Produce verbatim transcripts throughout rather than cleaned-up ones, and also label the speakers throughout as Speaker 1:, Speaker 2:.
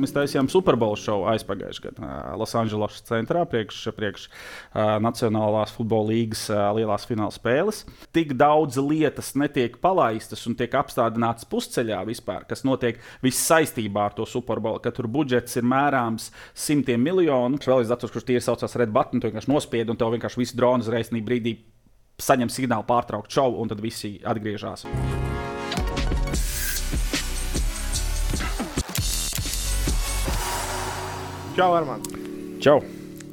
Speaker 1: mēs taisījām Super Bowl šovu aizpagājušajā gadā Losandželosas centrā priekš, priekš uh, Nacionālās futbola līgas uh, lielās fināla spēles. Tik daudz lietas netiek palaistas un tiek apstādinātas pusceļā vispār, kas notiek viss saistībā ar to Super Bowl, ka tur budžets ir mērāms simtiem miljonu. Vēl es atceros, kurš tīri saucās Red Button, tu vienkārši nospied un tev vienkārši visi droni uzreiz brīdī saņem signālu pārtraukt šovu, un tad visi atgriežas.
Speaker 2: Čau, Armand.
Speaker 1: Čau.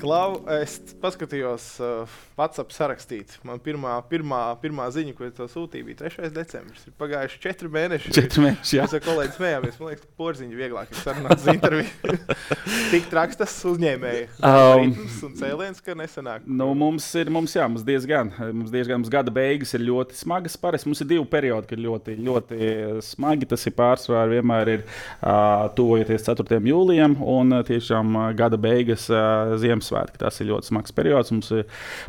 Speaker 2: Klau, es paskatījos uh, WhatsApp sarakstīt. Man pirmā, pirmā, pirmā ziņa, ko es tev sūtīju, bija trešais decembris. Ir pagājuši četri mēneši.
Speaker 1: Četri mēneši, jā.
Speaker 2: Mēs ar kolēģi smējāmies. Man liekas, porziņu vieglāk ir sarunāt uz interviju. Tik traks tas uzņēmēji.
Speaker 1: Um,
Speaker 2: Ritms un cēliens, ka nesanāk.
Speaker 1: Nu, mums ir, mums jā, mums diezgan, mums diezgan, mums gada beigas ir ļoti smagas. Parasti mums ir divi periodi, kad ļoti, ļoti smagi. Tas ir pārsvarā vienmēr ir uh, tuvojoties ceturtajam jūlijam un uh, tiešām uh, gada beigas uh, Ziemassvētki. Tas ir ļoti smags periods. Mums ir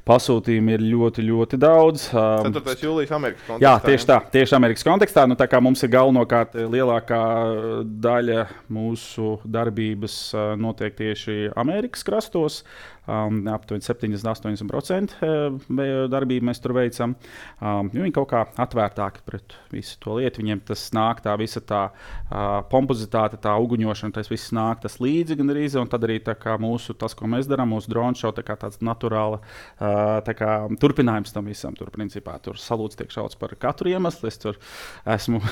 Speaker 1: pasūtījumi ir ļoti, ļoti daudz.
Speaker 2: ceturtais jūlijas Amerikas kontekstā.
Speaker 1: Jā, tieši tā. Tieši Amerikas kontekstā. Nu, tā kā mums ir galvenokārt lielākā daļa mūsu darbības notiek tieši Amerikas krastos. Um, aptuveni septiņdesmit līdz astoņdesmit procenti darbību mēs tur veicam. Um, viņi kaut kā atvērtāki pret visu to lietu. Viņiem tas nāk, tā visa tā uh, pompozitāte, tā uguņošana, tas viss nāk tas līdzi gan arī. Un tad arī tā kā mūsu, tas, ko mēs darām, mūsu drone show, tā kā tāds naturāla uh, tā kā turpinājums tam visam. Tur, principā, tur salūts tiek šauts par katru iemeslu. Es tur esmu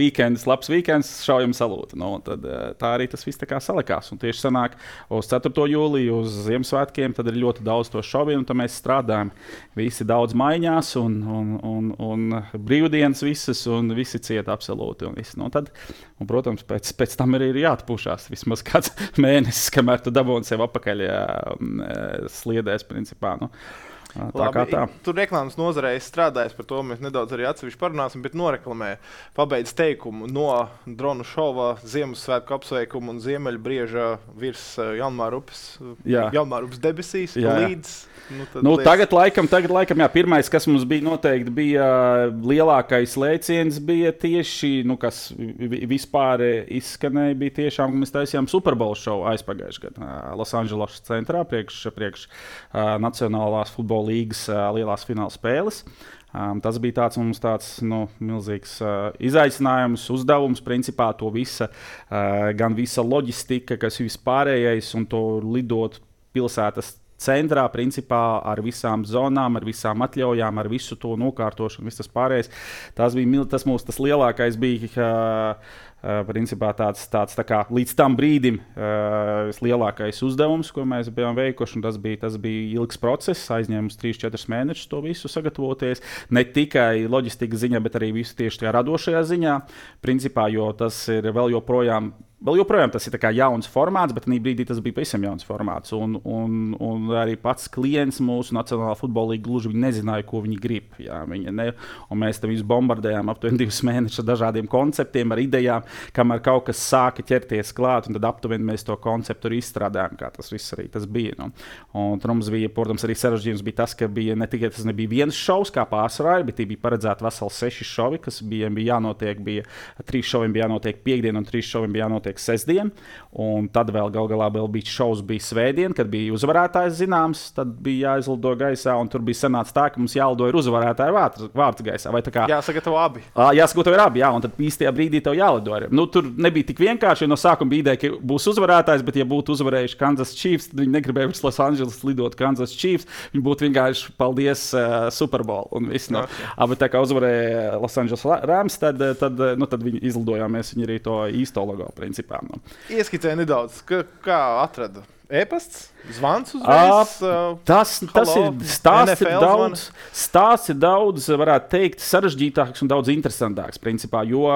Speaker 1: weekends, labs weekends, šaujam salūtu. Nu, tad, tā arī tas viss tā kā salikās. Un tieši sanāk uz ceturto jūliju, uz Ziemassvētkiem, tad ir ļoti daudz to šoviem, un tad mēs strādājam. Visi daudz maiņās, un, un, un, un brīvdienas visas, un visi ciet absolūti. Un visi. Nu, tad, un, protams, pēc, pēc tam arī ir jāatpūšās vismaz kāds mēnesis, kamēr tu dabūni sev apakaļ jā, sliedēs, principā. Nu. Tā
Speaker 2: Labi,
Speaker 1: kā tā.
Speaker 2: Tur reklāmas nozarē strādājis, par to mēs nedaudz arī atsevišķi parunāsim, bet noreklamē pabeidz teikumu no dronu šova, Ziemassvētku apsveikumu un Ziemeļbrieža virs Janmāra upes, Janmāra upes debesīs jā. Līdz. Nu,
Speaker 1: nu, tagad, laikam, tagad laikam, jā, pirmais, kas mums bija noteikti, bija lielākais lēciens, bija tieši, nu, kas vispār izskanēja, bija tiešām, ka mēs taisījām Super Bowl šovu aizpagājušajā gadā Losandželosas centrā priekš, priekš uh, Nacionālās futbola līgas uh, lielās fināla spēles. Um, tas bija tāds mums tāds nu, milzīgs uh, izaicinājums, uzdevums, principā to visa, uh, gan visa loģistika, kas vispārējais un to lidot pilsētas centrā, principā ar visām zonām, ar visām atļaujām, ar visu to nokārtošanu, viss tas pārējais. Tas bija tas mūsu tas lielākais bija, uh, uh, principā tāds, tāds tā kā līdz tam brīdim uh, lielākais uzdevums, ko mēs bijām veikuši, un tas bija, tas bija ilgs process, aizņēma mums trīs četrus mēnešus to visu sagatavoties, ne tikai loģistikas ziņā, bet arī visu tieši tajā radošajā ziņā, principā, jo tas ir vēl joprojām Vēl joprojām tas ir tā kā jauns formāts, bet tajā brīdī tas bija pavisam jauns formāts. Un, un, un arī pats klients mūsu Nacionālā futbola līga gluži nezināja, ko viņi grib. Jā, viņi ne, un mēs tam visu bombardējām aptuveni divus mēnešus ar dažādiem konceptiem, ar idejām, kamēr kaut kas sāka ķerties klāt, un tad aptuveni mēs to konceptu arī izstrādājām, kā tas viss arī tas bija. Nu. Un tur mums bija, protams, arī sarežģījums bija tas, ka bija ne tikai tas nebija viens šovs, kā pārsvarā, bet bija paredzēti veseli seši šovi, kas bija, bija jānotiek, bija trīs šoviem bija jānotiek piekdien un trīs šoviem bija jānotiek sestdien, un tad vēl gal galā vēl bija šovs bija svētdien, kad bija uzvarētājs zināms, tad bija jāizlido gaisā, un tur bija sanāca tā, ka mums jālido ir uzvarētāja vārds, vārds gaisā. Vai tā kā
Speaker 2: jāsagatavo abi.
Speaker 1: Jāsagatavo ir abi, jā, un tad īstajā brīdī tev jālido arī. Nu, tur nebija tik vienkārši, jo no sākuma bija ideja, ka būs uzvarētājs, bet ja būtu uzvarējuši Kansas Chiefs, tad viņi negribēja uz Los Angeles lidot Kansas Chiefs, viņi būtu vienkārši paldies uh, Super Bowl un viss. No. Okay. Bet tā kā uzvarēja Los Angeles Rams, tad, tad, nu, tad viņi izlidojāmies, viņi arī to īsto logo principā. No.
Speaker 2: Ieskicēja nedaudz, ka, kā atrada e-pasts, zvans uzreiz?
Speaker 1: Uh, tas, tas ir stāsts ir daudz, stāsts ir daudz, varētu teikt, sarežģītāks un daudz interesantāks, principā, jo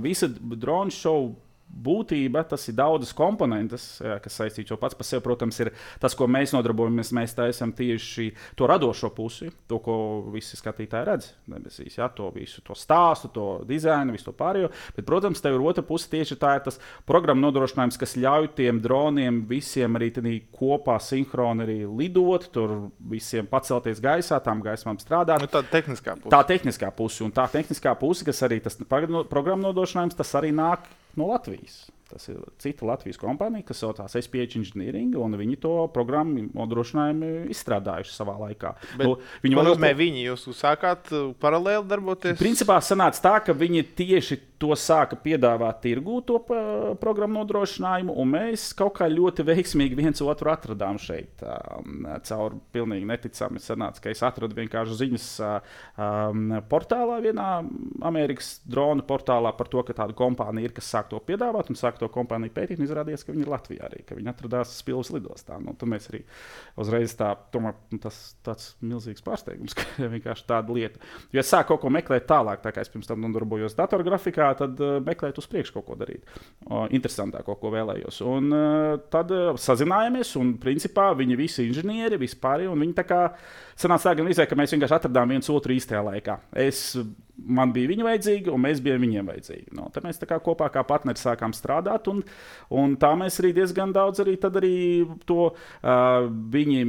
Speaker 1: visa drone show būtība, tas ir daudzas komponentes, kas saistīts. Jo pats par sevi, protams, ir tas, ko mēs nodarbojamies. Mēs taisam tieši to radošo pusi, to, ko visi skatītāji redz. Debesīs, ja, to visu, to stāstu, to dizainu, visu to pārējo. Bet, protams, tev ir otra puse tieši tā ir tas programmu nodrošinājums, kas ļauj tiem droniem visiem arī kopā sinhroni arī lidot, tur visiem pacelties gaisā, tām gaismām strādāt.
Speaker 2: Nu, tā tehniskā puse.
Speaker 1: Tā tehniskā puse. Un tā tehniskā puse, kas arī tas programmu nodrošinājums, tas arī nāk no Latvijas. Tas ir cita Latvijas kompānija, kas saucās S P H Engineering, un viņi to programmu nodrošinājumu izstrādājuši savā laikā.
Speaker 2: Bet,
Speaker 1: nu, viņi
Speaker 2: ko nozīmē viņi? Jūs sākāt paralēli darboties?
Speaker 1: Principā sanāca tā, ka viņi tieši to sāka piedāvāt tirgū, to programmu nodrošinājumu, un mēs kaut kā ļoti veiksmīgi viens otru atradām šeit. Caur pilnīgi neticami sanāca, ka es atradu vienkārši ziņas um, portālā, vienā Amerikas drona portālā par to, ka tāda kompānija ir, kas sāk to piedāvāt, un sāk to kompāniju pētīt, un izrādījās, ka viņi ir Latvijā arī, ka viņi atradās Spilves lidostā. Nu, tad mēs arī uzreiz tā, tomēr tas tāds milzīgs pārsteigums, ka vienkārši tāda lieta. Jo es sāku kaut ko meklēt tālāk, tā kā es pirms tam nodarbojos datorgrafikā, tad uh, meklēt uz priekšu kaut ko darīt. Uh, interesantāk kaut ko vēlējos. Un uh, tad uh, sazinājāmies, un principā viņi visi inženieri, vispār, un viņi tā kā sanāca tā, gan izvēja, ka mēs vienkārši atradām viens otru īstajā laikā. Es, man bija viņa vajadzīga, un mēs bijām viņiem vajadzīgi. No, tad mēs tā kā kopā kā partneri sākām strādāt, un, un tā mēs arī diezgan daudz arī, tad arī to uh, viņi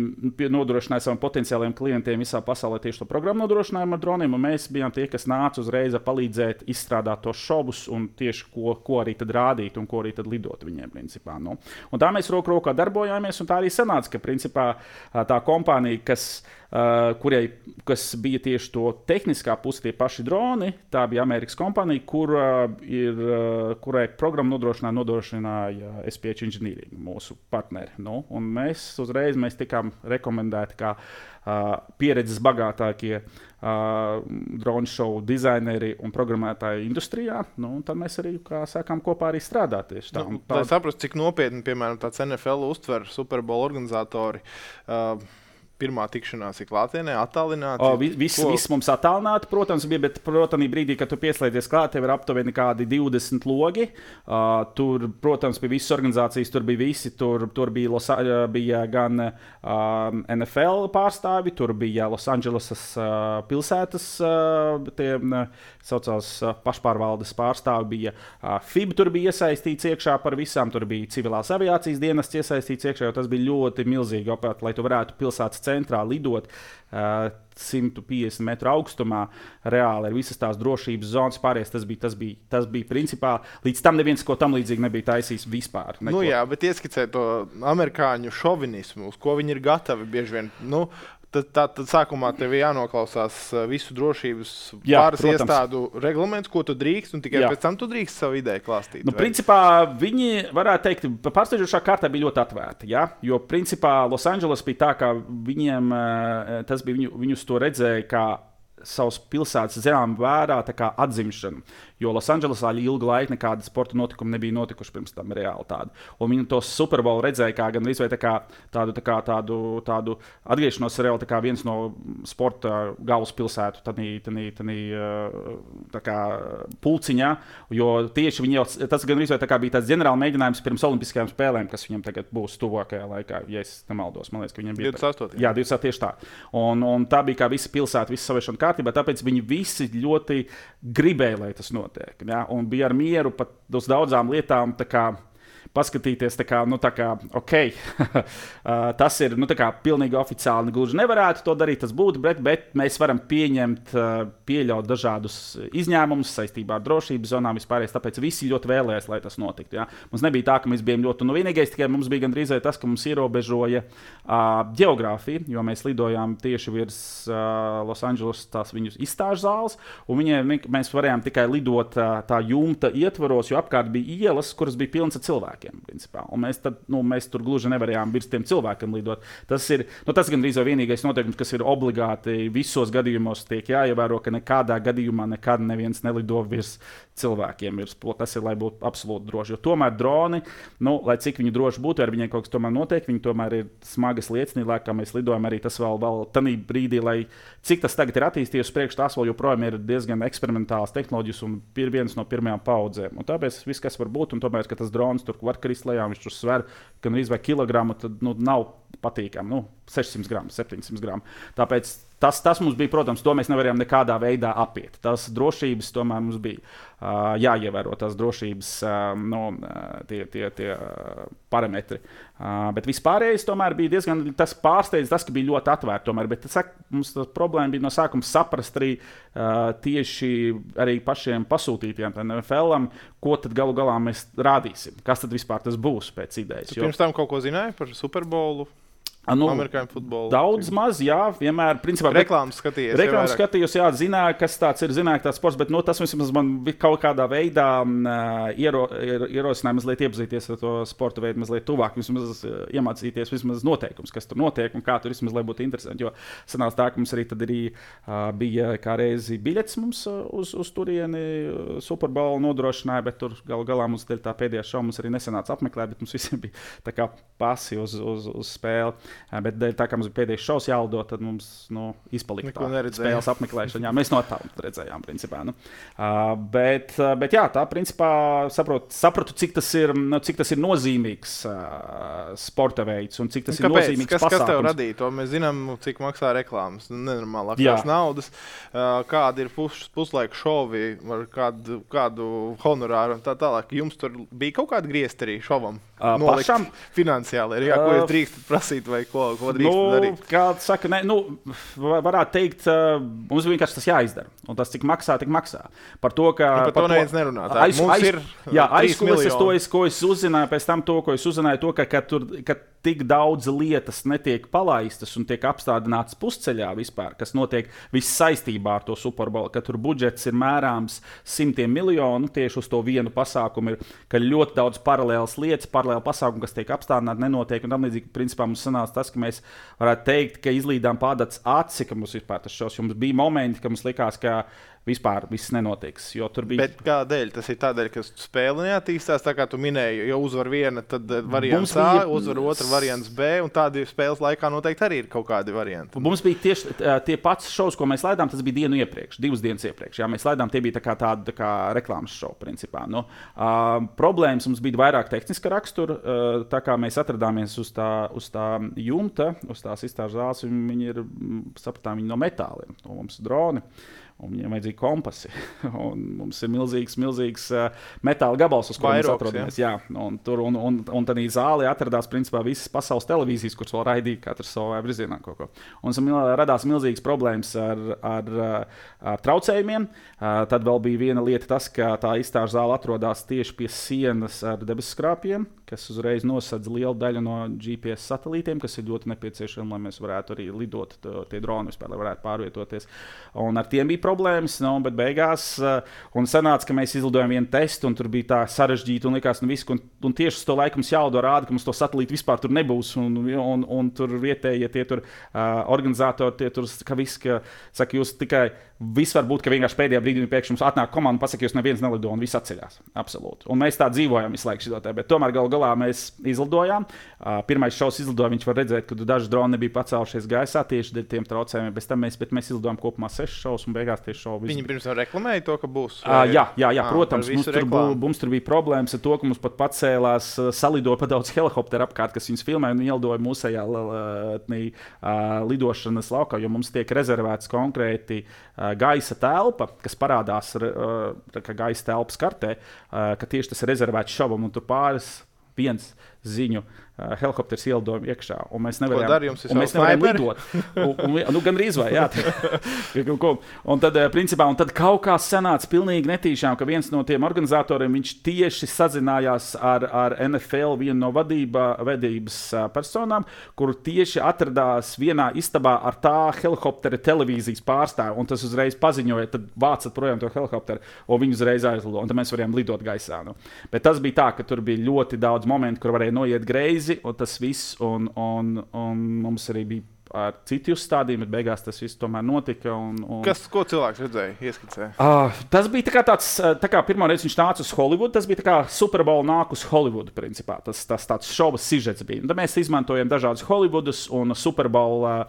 Speaker 1: nodrošināja saviem potenciāliem klientiem visā pasaulē tieši to programmu nodrošinājumu ar droniem, un mēs bijām tie, kas nāca uzreiz palīdzēt izstrādāt tos šovus un tieši ko, ko arī tad rādīt un ko arī tad lidot viņiem, principā. No. Un tā mēs roku rokā darbojāmies, un tā arī sanāca, ka principā tā kompānija, kas Uh, kurai, kas bija tieši to tehniskā puse, tie paši droni, tā bija Amerikas kompānija, kur, uh, ir, uh, kurai programmu nodrošināja, nodrošināja S P H Engineering, mūsu partneri. Nu, un mēs uzreiz mēs tikām rekomendēti kā uh, pieredzes bagātākie uh, drone show dizaineri un programmētāji industrijā. Nu, un tad mēs arī kā, sākām kopā arī strādāt tieši tā.
Speaker 2: Nu,
Speaker 1: tā...
Speaker 2: Lai saprastu, cik nopietni, piemēram, tāds N F L uztver Super Bowl organizatori. Uh, Pirmā tikšanās ir klātienē, attālināti.
Speaker 1: O, viss, viss mums attālināti, protams, bija, bet, protams, brīdī, kad tu pieslēdzies klāt, tev ir aptuveni kādi divdesmit logi. Uh, tur, protams, bija visas organizācijas, tur bija visi, tur, tur bija, Los, bija gan uh, N F L pārstāvi, tur bija Los Andželesas uh, pilsētas, uh, tie uh, saucās uh, pašpārvaldes pārstāvi, bija uh, F I B, tur bija iesaistīts iekšā par visām, tur bija civilās aviācijas dienests iesaistīts iekšā, jo tas bija ļoti milzīgi operēt, lai tu varētu pilsētas centrā lidot uh, simt piecdesmit metru augstumā, reāli ar visas tās drošības zonas pārējais. Tas bija, tas bija, tas bija principā, līdz tam neviens ko tam līdzīgi nebija taisījis vispār. Neko.
Speaker 2: Nu jā, bet ieskicē to amerikāņu šovinismu, uz ko viņi ir gatavi bieži vien. Nu, Tad, tad, tad sākumā tev ir jānoklausās visu drošības
Speaker 1: Jā,
Speaker 2: pāris
Speaker 1: protams.
Speaker 2: iestādu reglamentus, ko tu drīkst, un tikai
Speaker 1: Jā.
Speaker 2: pēc tam tu drīkst savu ideju klāstīt.
Speaker 1: Nu,
Speaker 2: vai?
Speaker 1: principā viņi, varētu teikt, pārsteidzošā kārtā bija ļoti atvērti. Ja? Jo, principā, Losandželos bija tā, ka viņiem, tas bija, viņu, viņus to redzēja kā savas pilsētas zemām vērā tā kā atzimšanu. Jo Losandželosā ilgu laiku nekāda sporta notikuma nebija notikuši pirms tam reāli tādu. Un viņi to Super Bowl redzēja kā gan izvēj tā kā tādu, tā kā tādu, tādu atgriešanos reāli tā kā viens no sporta galvaspilsētu tanī, tanī, tanī, tā kā pulciņā, jo tieši viņi jau, tas gan izvēj tā kā bija tāds ģenerāli mēģinājums pirms olimpiskajām spēlēm, kas viņam tagad būs tuvākajā laikā, ja es nemaldos. Man liekas, ka viņam bija
Speaker 2: divdesmit astotajā
Speaker 1: Jā, divdesmit astotajā tieši tā. Un, un tā bija kā visa pilsēta, visa saviešana kārtībā, tāpēc viņi visi ļoti gribēja, lai tas notiek. Ja? Un bija ar mieru pat uz daudzām lietām tā kā paskatīties, tā kā, nu, tā kā, ok, tas ir, nu, tā kā pilnīgi oficiāli gluži nevarētu to darīt, tas būtu, bet, bet mēs varam pieņemt, pieļaut dažādus izņēmumus saistībā ar drošības zonām vispārējais, tāpēc visi ļoti vēlējās, lai tas notiktu. Ja? Mums nebija tā, ka mēs bijām ļoti, nu, vienīgais, tikai mums bija gandrīz tas, ka mums ierobežoja uh, geogrāfiju, jo mēs lidojām tieši virs uh, Losandželos tās viņu izstāžu zāles, un viņiem, mēs varējām tikai lidot uh, tā jumta ietvaros, jo apkārt bija ielas, kuras bija pilnas ar cilvēkiem. Principā. Un mēs, tad, nu, mēs tur gluži nevarējām virs tiem cilvēkiem lidot. Tas ir nu, tas gandrīz vai vienīgais noteikums, kas ir obligāti visos gadījumos tiek jāievēro, ka nekādā gadījumā nekad neviens nelido virs cilvēkiem. Virs, tas ir, lai būtu absolūti droši. Jo tomēr droni, nu, lai cik viņi droši būtu, ar viņiem kaut kas tomēr notiek, viņi tomēr ir smagas liecības, lai kā mēs lidojam, arī tas vēl, vēl tanī brīdī, lai cik tas tagad ir attīstījies priekš, tās vēl joprojām ir diezgan eksperimentāls tehnoloģijas un ir viens no pirmajām paudzēm. Un tāpēc viss, kas var būt, un tomēr, ka tas drons tur var krist lejā, viņš tur sver gan arī vai kilogramu, tad nu, nav patīkami. Nu, sešsimt gramu, septiņsimt gramu. Tāpēc tas, tas mums bija, protams, to mēs nevarējām nekādā veidā apiet. Tas drošības tomēr mums bija uh, jāievēro, tās drošības uh, no, uh, tie, tie, tie uh, parametri. Uh, bet vispārējais tomēr bija diezgan tas pārsteidz, tas, ka bija ļoti atvērti tomēr. Bet tas, mums tas problēma bija no sākuma saprast arī uh, tieši arī pašiem pasūtītiem N F L-am, ko tad galu galā mēs rādīsim. Kas tad vispār tas būs pēc idejas?
Speaker 2: Tu pirms tam kaut ko zināji par Super Bowlu?
Speaker 1: Nu,
Speaker 2: Amerikāņu futbolu.
Speaker 1: Daudz maz, jā, vienmēr. Principā,
Speaker 2: reklāmas skatījos.
Speaker 1: Reklāmas skatījos, jā, zināju, kas tāds ir, zināju, tāds sports, bet nu, tas vismaz man kaut kādā veidā uh, iero, ierosināja mazliet iepazīties ar to sporta veidu, mazliet tuvāk, vismaz uh, iemācīties vismaz noteikums, kas tur notiek un kā tur vismaz, lai būtu interesanti. Jo sanāca tā, ka mums arī tad arī uh, bija kā reizi biļets mums uh, uz, uz turieni uh, Super Bowl nodrošināja, bet tur galu galā mums tā pēdējā šova mums arī nesanāca apmeklēt, bet mums visiem bija tā kā pasi uz, uz, uz spēli. Bet tā kā mums bija pēdējais šovs jālido, tad mums nu, izpalika tā spēles apmeklēšana. Jā, mēs no tālu redzējām, principā. Nu. Uh, bet, bet jā, tā principā saprotu, sapratu, cik tas ir, nu, cik tas ir nozīmīgs uh, sporta veids un cik tas Kāpēc? ir nozīmīgs
Speaker 2: kas,
Speaker 1: pasākums.
Speaker 2: Kas tev radīja to? Mēs zinām, cik maksā reklāmas, nenormālākās naudas. Uh, kādi ir pus, puslaika šovi, ar kādu, kādu honorāru un tā tālāk. Jums tur bija kaut kāda griezta arī šovam?
Speaker 1: Uh, pašam?
Speaker 2: Finansiāli ir, jā, ko jūs drīkstat prasīt vai ko, ko drīkstat
Speaker 1: nu,
Speaker 2: darīt?
Speaker 1: Kā saka, ne, nu, varētu teikt, uh, mums vienkārši tas jāizdara. Un tas, cik maksā, tik maksā. Par to, ka...
Speaker 2: Nu, par, par to neviens nerunā. Tā, aiz, mums aiz, ir
Speaker 1: jā, aizkulises to, es, ko es uzzināju, pēc tam to, ko es uzzināju, to, ka, ka, tur, ka tik daudz lietas netiek palaistas un tiek apstādinātas pusceļā vispār, kas notiek viss saistībā ar to Super Bowl, ka tur budžets ir mērāms simtiem miljonu tieši uz to vienu pasākumu, ir, ka ļoti daudz paralēlas lietas, paralēli pasākumu, kas tiek apstādināti, nenotiek, un tam līdzīgi, principā mums sanāca tas, ka mēs varētu teikt, ka izlīdām pādāts aci, ka mums vispār tas šos, jums bija momenti, ka mums likās, ka vispār viss nenotiks. Bija...
Speaker 2: Bet kādēļ? Tas ir tādēļ, ka spēle neattīstās, tā kā tu minēji, ja uzvar viena, tad variants bija... A, uzvar otra variants B, un tādi spēles laikā noteikti arī ir kaut kādi varianti.
Speaker 1: Mums bija tieši tie pats šovs, ko mēs laidām, tas bija dienu iepriekš, divas dienas iepriekš. Jā, mēs laidām, tie bija tā kā tāda tā kā reklāmas šovi, principā. Nu, uh, problēmas mums bija vairāk tehniska rakstura, uh, tā kā mēs atradāmies uz tā, uz tā jumta, uz tās izstāžu zāles, viņi ir, sapratām, viņi no metāliem, no mums droni. Un viņiem vajadzīgi kompasi. Un mums ir milzīgs, milzīgs uh, metāla gabals, uz kuriem mēs atrodamies. Jā. Jā, un tur un, un, un tad zālē atradās principā visas pasaules televīzijas, kuras vēl raidīja katrs savā virzienā kaut ko. Un radās milzīgas problēmas ar, ar, ar traucējumiem. Uh, tad vēl bija viena lieta tas, ka tā izstāžu zāle atrodas tieši pie sienas ar debesu skrāpjiem, kas uzreiz nosedz lielu daļu no G P S satelītiem, kas ir ļoti nepieciešami, lai mēs varētu arī lidot tie droni vispār, lai varētu pārvietoties. Un ar tiem bija problēmas, no, bet beigās uh, un sanāca, ka mēs izlidojām vienu testu, un tur bija tā sarežģīta, un likās, nu viss, un, un tieši uz to laiku mums jālido rāda, ka mums to satelītu vispār tur nebūs, un, un, un tur vietējie tie tur uh, organizatori, tie tur, ka viss, ka, saka, jūs tikai, viss var būt, ka vienkārši pēdējā brīdī pēkšņi mums atnāk komanda un pasaka, jūs neviens nelido, un viss atceļās. Absolūti. Un mēs tā dzīvojam visu laiku šitotē, bet tomēr galu galā mēs izlidojām. Uh, pirmais šovs izlidoja, viņš var redzēt, ka daži droni nebija pacēlušies gaisā tieši dēļ tiem traucējumiem, bez tam mēs, bet mēs izlidojām kopumā sešas šovus, un beigās tieši šovu.
Speaker 2: Viņi pirms tam reklamēja to, ka būs?
Speaker 1: Vai... Uh, jā, jā, jā, protams, mums tur, bū, mums tur bija problēmas ar to, ka mums pat pacēlās, uh, salidoja pa daudz helikopteru apkārt, kas viņus filmēja un ielidoja mūsējā uh, lidošanas laukā, jo mums tiek rezervēts konkrēti uh, gaisa telpa, kas parādās uh, kā gaisa telpas kartē, uh, ka tieši tas ir rezervēts šovam, un tur pāris viens ziņu uh, helikopters ielidojumu iekšā, un mēs nevarējām, un mēs nevarējām lidot. un, un, nu, gan rīz vai, jā. un tad, principā, un tad kaut kā sanāca pilnīgi netīšām, ka viens no tiem organizatoriem, viņš tieši sazinājās ar, ar N F L vienu no vadībā, vedības uh, personām, kur tieši atradās vienā istabā ar tā helikoptera televīzijas pārstāvu, un tas uzreiz paziņoja, tad vācat projām to helikopteru, un viņi uzreiz aizlido, un tad mēs varējām lidot gaisā. Nu. Bet tas bija tā, ka tur bija ļoti daudz momentu, kur varēja noiet greizi, un tas viss, un, un, un mums arī bija ar citu uzstādījumu, bet beigās tas viss tomēr notika. Un, un...
Speaker 2: Kas, ko cilvēks redzēja, ieskicēja?
Speaker 1: Uh, tas bija tā kā tāds, tā kā pirmā reize viņš nāca uz Holivudu, tas bija tā kā Super Bowl nāk uz Holivudu, principā. Tas, tas tāds šova sižets bija. Un tad mēs izmantojam dažādus Holivudus un Super Bowl uh,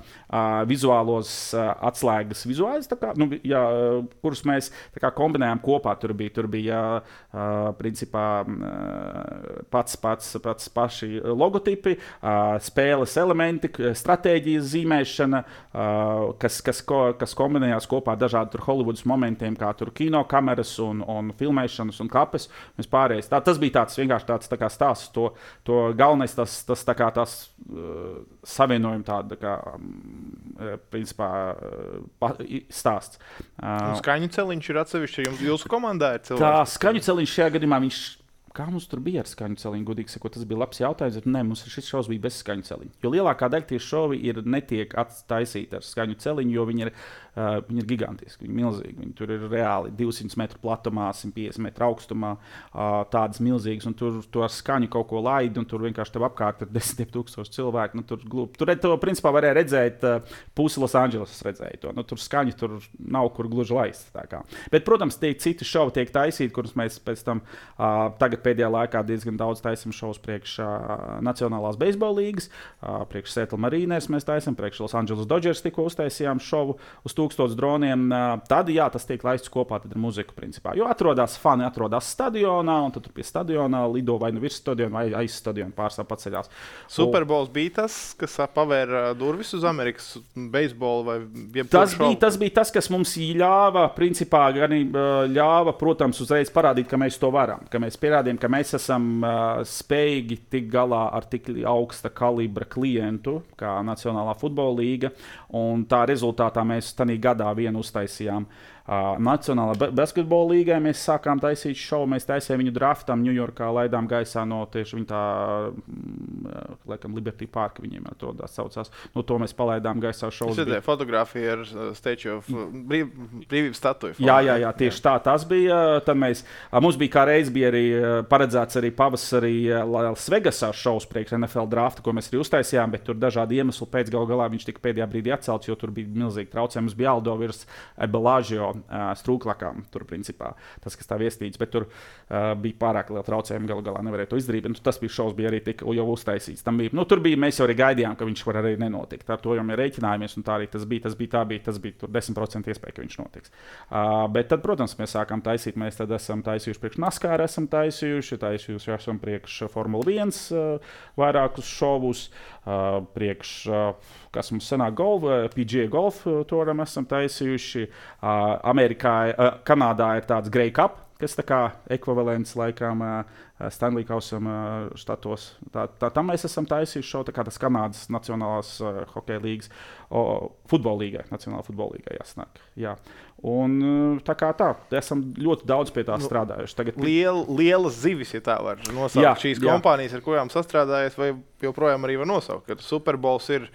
Speaker 1: vizuālos uh, atslēgas vizuālis, tā kā, nu, jā, kurus mēs tā kā kombinējām kopā. Tur bija, tur bija uh, principā uh, pats, pats, pats paši logotipi, uh, spēles elementi, stratēģijas zīmēšana, uh, kas, kas, ko, kas kombinējās kopā ar dažādiem Holivudas momentiem, kā tur kino kameras un, un filmēšanas un kapes. Tā, tas bija tāds vienkārši tāds tā kā stāsts. To, to galvenais tas, tas tā kā tās uh, savienojuma tāda, tā kā, um, principā, uh, pa, stāsts. Uh,
Speaker 2: un skaņu celiņš ir atsevišķi, jums jūsu komandā ir cilvēks?
Speaker 1: Tā skaņu celiņš šajā gadījumā viņš. Kā mums tur bija ar skaņu celiņu? Godīgi sakot, tas bija labs jautājums, bet nē, mums šis šovs bija bez skaņu celiņa. Jo lielākā daļa tieši šovi ir netiek attaisīti ar skaņu celiņu, jo viņi ir, uh, viņi ir gigantiski, viņi ir milzīgi. Viņi tur ir reāli divsimt metru platumā, simt piecdesmit metru augstumā, uh, tādas milzīgas, un tur, tur ar skaņu kaut ko laidi, un tur vienkārši tev apkārt ir desmit tūkstoši cilvēku. Nu, tur, glūp. tur to principā varēja redzēt, uh, pusi Losandželosas redzēja to. Nu, tur skaņu tur nav kur gluži laist. Bet, protams, tie citi šovi tiek taisīti, kurus mēs pēc tam uh, tagad pēdējā laikā diezgan daudz taisām šovus priekš uh, Nacionālās beisbola līgas, uh, priekš Seattle Mariners mēs taisām, priekš Los Angeles Dodgers tikko uztaisījām šovu uz tūkstotis droniem. Uh, tad, jā, tas tiek laists kopā ar muziku, principā. Jo atrodas fani, atrodas stadionā, un tad tur pie stadionā lido vai nu virs stadiona, vai aiz stadiona pārstāv paceļās.
Speaker 2: Superbols bija tas, kas pavēra durvis uz Amerikas beisbolu vai jebkuru
Speaker 1: tas
Speaker 2: šovu?
Speaker 1: bija, tas bija tas, kas mums ļāva, principā, gan ļāva, protams, uzreiz parādīt, ka mēs to varam, ka mēs pierādījām, ka mēs esam uh, spējīgi tikt galā ar tik augsta kalibra klientu, kā Nacionālā futbola līga, un tā rezultātā mēs tanī gadā vienu uztaisījām. Uh, Nacionālā basketbola līgai mēs sākām taisīt šovu, mēs taisījām viņu draftam Ņujorkā, laidām gaisā no tieši viņa tā, uh, laikam, Liberty Park viņiem atrodas saucās. No to mēs palaidām gaisā šovu.
Speaker 2: Tas ir fotografija ar Statue of brīv, brīvības statuju.
Speaker 1: Jā, jā, jā, tieši jā. tā tas bija. Tad mēs, mums bija kā reiz bija arī paredzēts arī pavasarī Las Vegasā šovs priekš N F L drafta, ko mēs arī uztaisījām, bet tur dažādi iemesli pēc gal galā viņš tika pēdējā brīdī atcelts, jo tur bija milzīgi traucējumi. Mums bija jālido virs Bellagio strūklakām, tur principā tas, kas tā viestīts, bet tur uh, bija pārāk liela traucējuma, galu galā nevarēja to izdarīt, bet nu, tas bija šovs, bija arī tik jau uztaisīts. Tam bija, nu, tur bija, mēs jau arī gaidījām, ka viņš var arī nenotikt. Ar to jau mēs rēķinājāmies, un tā arī tas bija, tas bija, tā bija, tas bija tur desmit procenti iespēja, ka viņš notiks. Uh, bet tad, protams, mēs sākām taisīt, mēs tad esam taisījuši priekš NASCAR, esam taisījuši, taisījuši esam priekš Formula viens uh, vairākus šovus, uh, priekš, uh, kas mums sanāk golf, P G A golf turam esam taisījuši. Uh, Amerikā, uh, Kanādā ir tāds Grey Cup, kas tā kā ekvivalents laikam uh, Stanley Kausam uh, štatos. Tā, tā, tam mēs esam taisījuši šovu, tā kā tas Kanādas Nacionālās uh, hokeja līgas, o, futbola līgai, Nacionālā futbola līgai jāsnāk. Jā. Un tā kā tā, esam ļoti daudz pie tā strādājuši. Tagad...
Speaker 2: Liel, lielas zivis, ja tā var nosaukt. Jā, šīs jā. kompānijas, ar kurām sastrādājies, vai joprojām arī var nosaukt, ka Superbols ir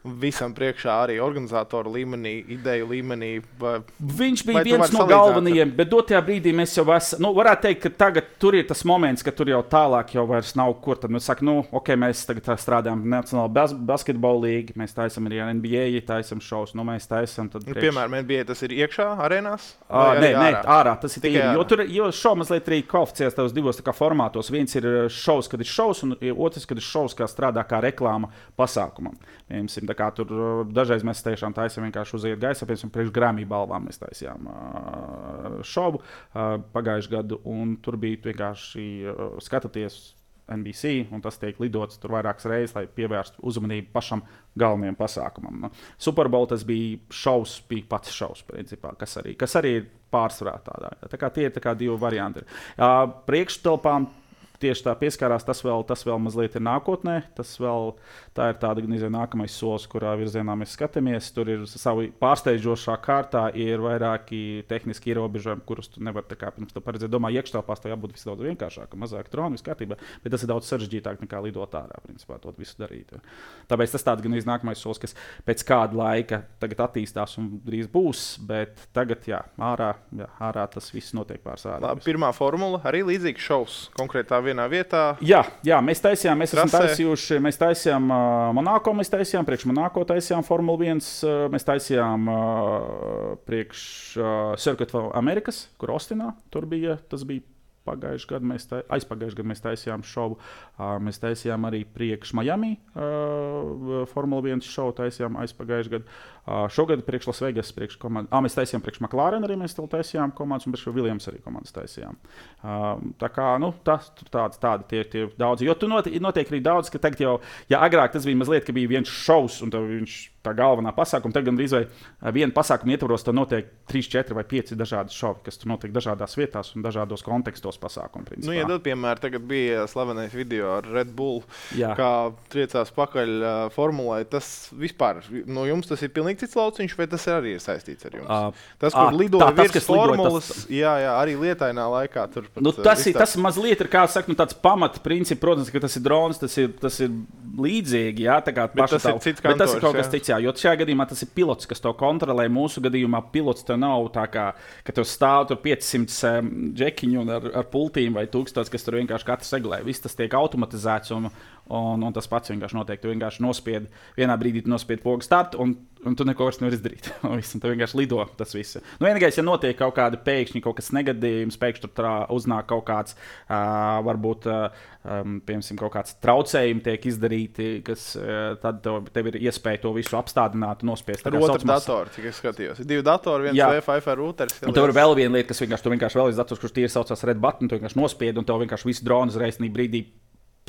Speaker 2: visam priekšā arī organizatoru līmenī, ideju līmenī. Vai,
Speaker 1: viņš bija viens no galvenajiem, bet dotajā brīdī mēs jau esam, nu, varētu teikt, ka tagad tur ir tas moments, ka tur jau tālāk jau vairs nav kur. Tad mēs sakam, nu, ok, mēs tagad strādājam Nacionālā bas basketbola līga, mēs taisam arī N B A, taisam šovs, nu, mēs taisam tad priekš.
Speaker 2: Piemēram, N B A tas ir iekšā arēnās?
Speaker 1: Uh, nē,
Speaker 2: ārā?
Speaker 1: nē, ārā, tas ir tīri, jo tur, jo šov mazliet arī kvalificēs tavos divos tā kā formātos. Viens ir šovs, kad ir šovs, un otrs, kad ir šovs, kā strādā kā reklāma pasākumam. Piemēram, tā kā tur dažreiz mēs tiešām taisām vienkārši uziet gaisā, piemēram, priekš Grammy balvām mēs taisījām uh, šovu uh, pagājuši gadu, un tur bija vienkārši uh, skatāties N B C, un tas tiek lidots tur vairākas reizes, lai pievērstu uzmanību pašam galvenajam pasākumam. Nu, Superbowl tas bija šovs, bija pats šovs, principā, kas arī, kas arī ir pārsvarā tādā. Tā kā tie ir tā kā divi varianti. Uh, priekštelpām tieši tā pieskārās, tas vēl, tas vēl mazliet ir nākotnē. Tas vēl, tā ir tāda nezinu, nākamais solis, kurā virzienā mēs skatāmies. Tur ir savi pārsteidzošā kārtā, ir vairāki tehniski ierobežojumi, kurus tu nevari tā kā pirms tam paredzēt. Domāju, iekštelpās tev jābūt viss daudz vienkāršākam, mazāk droni, viss kārtībā, bet tas ir daudz sarežģītāk nekā lidot ārā, principā, to visu darīt. Tāpēc tas tāds gan ir nākamais solis, kas pēc kāda laika tagad attīstās un drīz būs, bet tagad, jā, ārā, jā, ārā tas viss notiek pārsvarā.
Speaker 2: Labi, pirmā formula arī līdzīgs šovs konkrētā vienā vietā.
Speaker 1: Jā, jā, mēs taisījām, mēs esam taisījuši, mēs taisījām uh, Monako, mēs taisījām, priekš Monako taisījām Formula viens, uh, mēs taisījām uh, priekš uh, Circuit of Americas, kur Austinā, tur bija, tas bija pagājuši gadu, mēs tā, aizpagājuši gadu mēs taisījām šovu, uh, mēs taisījām arī priekš Miami, uh, Formula viens šovu taisījām aizpagājuši gadu, uh, šogad priekš Las Vegas, priekš komandas, ah, mēs taisījām priekš McLaren arī, mēs taisījām komandas, un priekš Williams arī komandas taisījām. Uh, tā kā, nu, tas tāds, tādi tie, tie daudzi, jo tu notiek, notiek arī daudz, ka tagad jau, ja agrāk tas bija mazliet, ka bija viens šovs, un tev viņš tā galvenā pasākuma. Tad gan drīz vai viena pasākuma ietvaros tur notiek trīs, četri vai pieci dažādi šovi, kas tur notiek dažādās vietās un dažādos kontekstos pasākumu. Principā.
Speaker 2: Nu, ja tad, piemēram, tagad bija slavenais video ar Red Bull,
Speaker 1: Jā.
Speaker 2: kā triecās pakaļ uh, formulai, tas vispār, no jums tas ir pilnīgi cits lauciņš, vai tas arī ir saistīts ar jums? Uh, tas, kur uh, lidoja virs tas, formulas, tas... jā, jā, arī lietainā laikā. Tur pat,
Speaker 1: nu, tas, ir, tas mazliet ir, kā saka, nu, tāds pamata princips, protams, ka tas ir drons, tas ir, tas ir līdzīgi, jā, tā kā
Speaker 2: bet tas, ir
Speaker 1: bet tas ir kaut kas cits, jā, jo šajā gadījumā tas ir pilots, kas to kontrolē. Mūsu gadījumā pilots tev nav tā kā, ka tev stāv tur piecsimt um, džekiņu ar, ar pultīm vai tūkstots, kas tur vienkārši katrs regulē. Viss tas tiek automatizēts un, un, un tas pats vienkārši notiek. Tu vienkārši nospied, vienā brīdī tu nospied pogu startu un, un tu neko vairs nevar izdarīt. Un tu vienkārši lido tas viss. Nu, vienīgais, ja notiek kaut kāda pēkšņi, kaut kas negadījums, pēkšņi tur trā, uznāk kaut kāds, uh, varbūt, uh, um, piemēram, kaut kāds traucējumi tiek izdarīti, kas uh, tad tev, tev ir iespēja to visu apstādināt un nospiest.
Speaker 2: Ar otru datoru, cik es skatījos. Ir divi datori, viens Wi-Fi routers.
Speaker 1: Un tev ir vēl viena lieta, kas vienkārši, tu vienkārši vēl ir dators, kurš tīri saucās red button, tu vienkārši nospied un tev vienkārši visu dronu uzreiz brīdī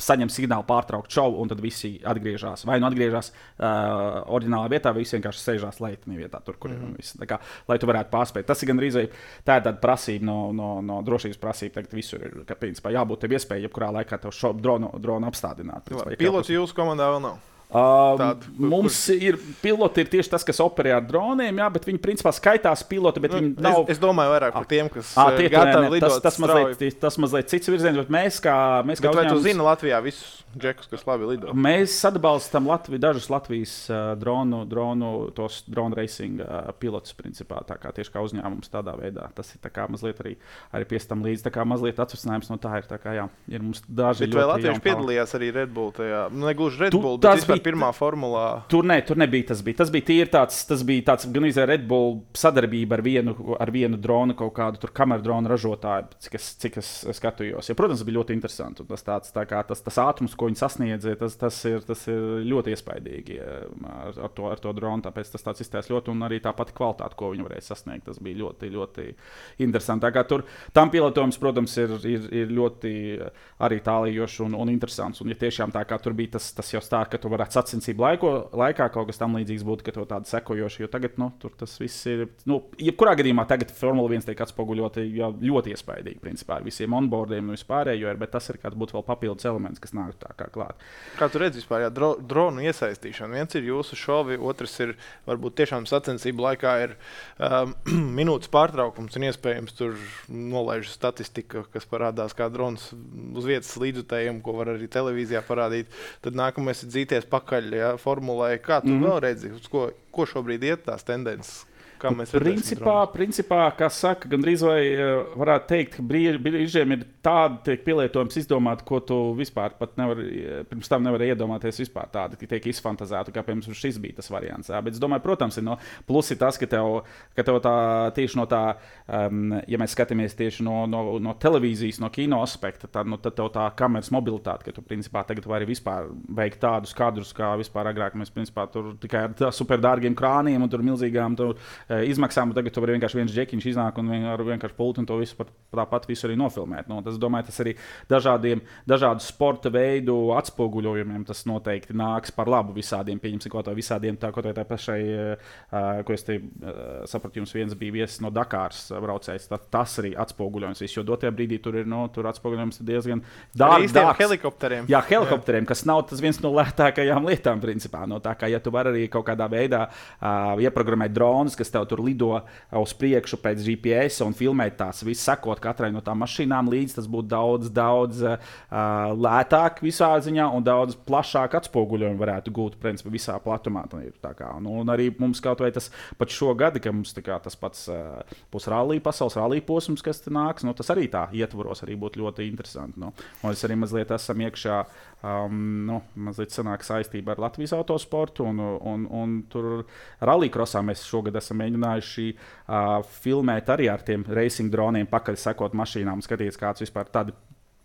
Speaker 1: saņem signālu pārtraukt šovu, un tad visi atgriežas. Vai nu atgriežas uh, oriģinālā vietā, vai visi vienkārši sēžās leitenī vietā, tur, kur mm-hmm. ir viss. Tā kā, lai tu varētu pārspēt. Tas ir gan rīzai, tā ir tāda prasība no, no, no drošības prasība. Tagad visur ir, ka, principā, jābūt tev iespēja, jebkurā laikā tev šo dronu, dronu apstādināt. Principā,
Speaker 2: piloti jūsu komandā vēl nav?
Speaker 1: Uh, Tād, mums kur... ir piloti, ir tieši tas, kas operē ar droniem, jā, bet viņi principā skaitās piloti, bet nu, viņi nav...
Speaker 2: Es, es domāju vairāk par tiem, kas
Speaker 1: à, tie,
Speaker 2: gatavi lidot
Speaker 1: tas, tas, mazliet, tas mazliet cits virziens, bet mēs kā, mēs kā
Speaker 2: bet
Speaker 1: uzņēmums...
Speaker 2: vai tu zini Latvijā visus džekus, kas labi lido?
Speaker 1: Mēs atbalstam Latvi, dažus Latvijas uh, dronu, dronu, tos drone racing uh, pilotus, principā, tā kā tieši kā uzņēmums tādā veidā. Tas ir tā kā mazliet arī, arī piestam līdz, tā kā mazliet atvasinājums no tā ir, tā kā jā, ir mums daži
Speaker 2: bet ļoti... Bet vai latvieši piedalījās arī Red Bull tajā? Nu, negluži Red Bull, tu, bet vispār pirmā formulā.
Speaker 1: Tur, ne, tur nebija tas. Bija. Tas bija tīri tāds, tas bija tāds gan izvēle Red Bull sadarbība ar vienu, ar vienu dronu, kaut kādu tur kameru dronu ražotāju, cik es, cik es skatījos. Ja, protams, tas bija ļoti interesanti. Tas, tāds, tā kā, tas, tas ātrums, ko viņi sasniedza, tas, tas, ir, tas ir ļoti iespaidīgi ar, ar, to, ar to dronu. Tāpēc tas tāds izstās ļoti, un arī tā pati kvalitāte, ko viņi varēja sasniegt, tas bija ļoti, ļoti interesanti. Tā kā tur tam pilotojums, protams, ir, ir, ir ļoti arī tālījošs un, un interesants. Un, ja tiešām tā kā tur bija tas, tas jau stāv, ka tu varētu sacensību laiko laikā kaut kas tam līdzīgs būtu, ka to tādu sekojoši, jo tagad, nu, tur tas viss ir, nu, jebkurā gadījumā tagad Formula viens tiek atspoguļoti jau ļoti iespaidīgi, principā, ar visiem onboardiem un vispārējo, bet tas ir kāds būtu vēl papildus elements, kas nāk tā kā klāt.
Speaker 2: Kā tu redzi vispār, jā, dro, dronu iesaistīšana, viens ir jūsu šovi, otrs ir, varbūt tiešām sacensību laikā ir um, minūtes pārtraukums un iespējams tur nolaiž statistika, kas parādās kā drons uz vietas līdzutējiem, ko var arī televīzijā parādīt, tad nākamais ir dzīties pakaļ, jā, formulai. Kā tu mm-hmm. vēl redzi, uz ko, ko šobrīd iet tās tendences? Kā mēs
Speaker 1: principā, principā, kā saka, gandrīz vai varētu teikt, ka brīžiem ir tādi pielietojums izdomāt, ko tu vispār pat nevari, pirms tam nevari iedomāties vispār tādi, ka tiek izfantazēti, kā piemēram šis bija tas variants. Jā. Bet es domāju, protams, ir no plusi tas, ka tev, ka tev tā tieši no tā, um, ja mēs skatāmies tieši no, no, no televīzijas, no kino aspekta, tad, nu, tad tev tā kameras mobilitāte, ka tu principā tagad vari vispār veikt tādus kadrus, kā vispār agrāk mēs principā tur tikai ar super dārgiem krāniem un tur milzīgām tur izmaksām, un tagad tu vari vienkārši viens džekiņš iznāk un ar vienkārši pultu un to visu par, tāpat visu arī nofilmēt. Nu, tas, domāju, tas arī dažādiem, dažādu sporta veidu atspoguļojumiem tas noteikti nāks par labu visādiem, pieņemsim, ko tā visādiem, tā, ko tā, tā pašai, uh, ko es te uh, sapratu, jums viens bija viesis no Dakāras braucējs, tā, tas arī atspoguļojums viss, jo dotajā brīdī tur ir, no, tur atspoguļojums diezgan dārgs.
Speaker 2: Helikopteriem.
Speaker 1: Jā, helikopteriem, jā. Kas nav tas viens no lētākajām lietām, principā. No tā kā, ja tu vari arī kaut kādā veidā uh, ieprogrammēt dronus, kas tev tur lido uz priekšu pēc G P S un filmēt tās, visu sekot katrai no tām mašīnām līdz, tas būtu daudz, daudz uh, lētāk visā ziņā un daudz plašāk atspoguļojumu varētu gūt, principā, visā platumā. Tā kā, nu, un arī mums kaut vai tas pat šo gadu, ka mums tā kā, tas pats uh, būs rallija, pasaules rallija posms, kas te nāks, nu, tas arī tā ietvaros arī būtu ļoti interesanti. Nu. Un es arī mazliet esam iekšā, um, nu, mazliet sanāk saistība ar Latvijas autosportu un, un, un tur rallija krosā mēs šogad esam mēģinājuši uh, filmēt arī ar tiem racing droniem, pakaļ sekot mašīnām un skatīties, kāds vispār tādi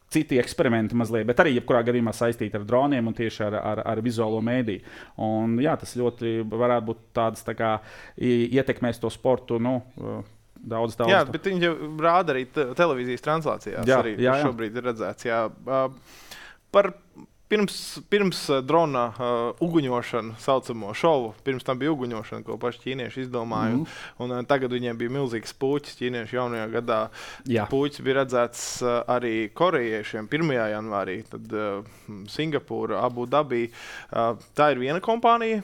Speaker 1: citi eksperimenti mazliet, bet arī jebkurā gadījumā saistīti ar droniem un tieši ar, ar, ar vizuālo mēdīju. Un jā, tas ļoti varētu būt tāds tā kā ietekmēs to sportu, nu, daudz, daudz.
Speaker 2: Jā, bet viņi jau rāda arī te- televīzijas translācijās, jā, arī jā, jā. Šobrīd ir redzēts. Jā. Uh, par Pirms, pirms uh, drona uh, uguņošana, saucamo šovu, pirms tam bija uguņošana, ko paši ķīnieši izdomāja. Mm. Un, un tagad viņiem bija milzīgs puķis ķīniešu jaunajā gadā. Jā. Puķis bija redzēts uh, arī korejiešiem pirmajā janvārī, tad uh, Singapūra, Abu Dabī. Uh, tā ir viena kompānija.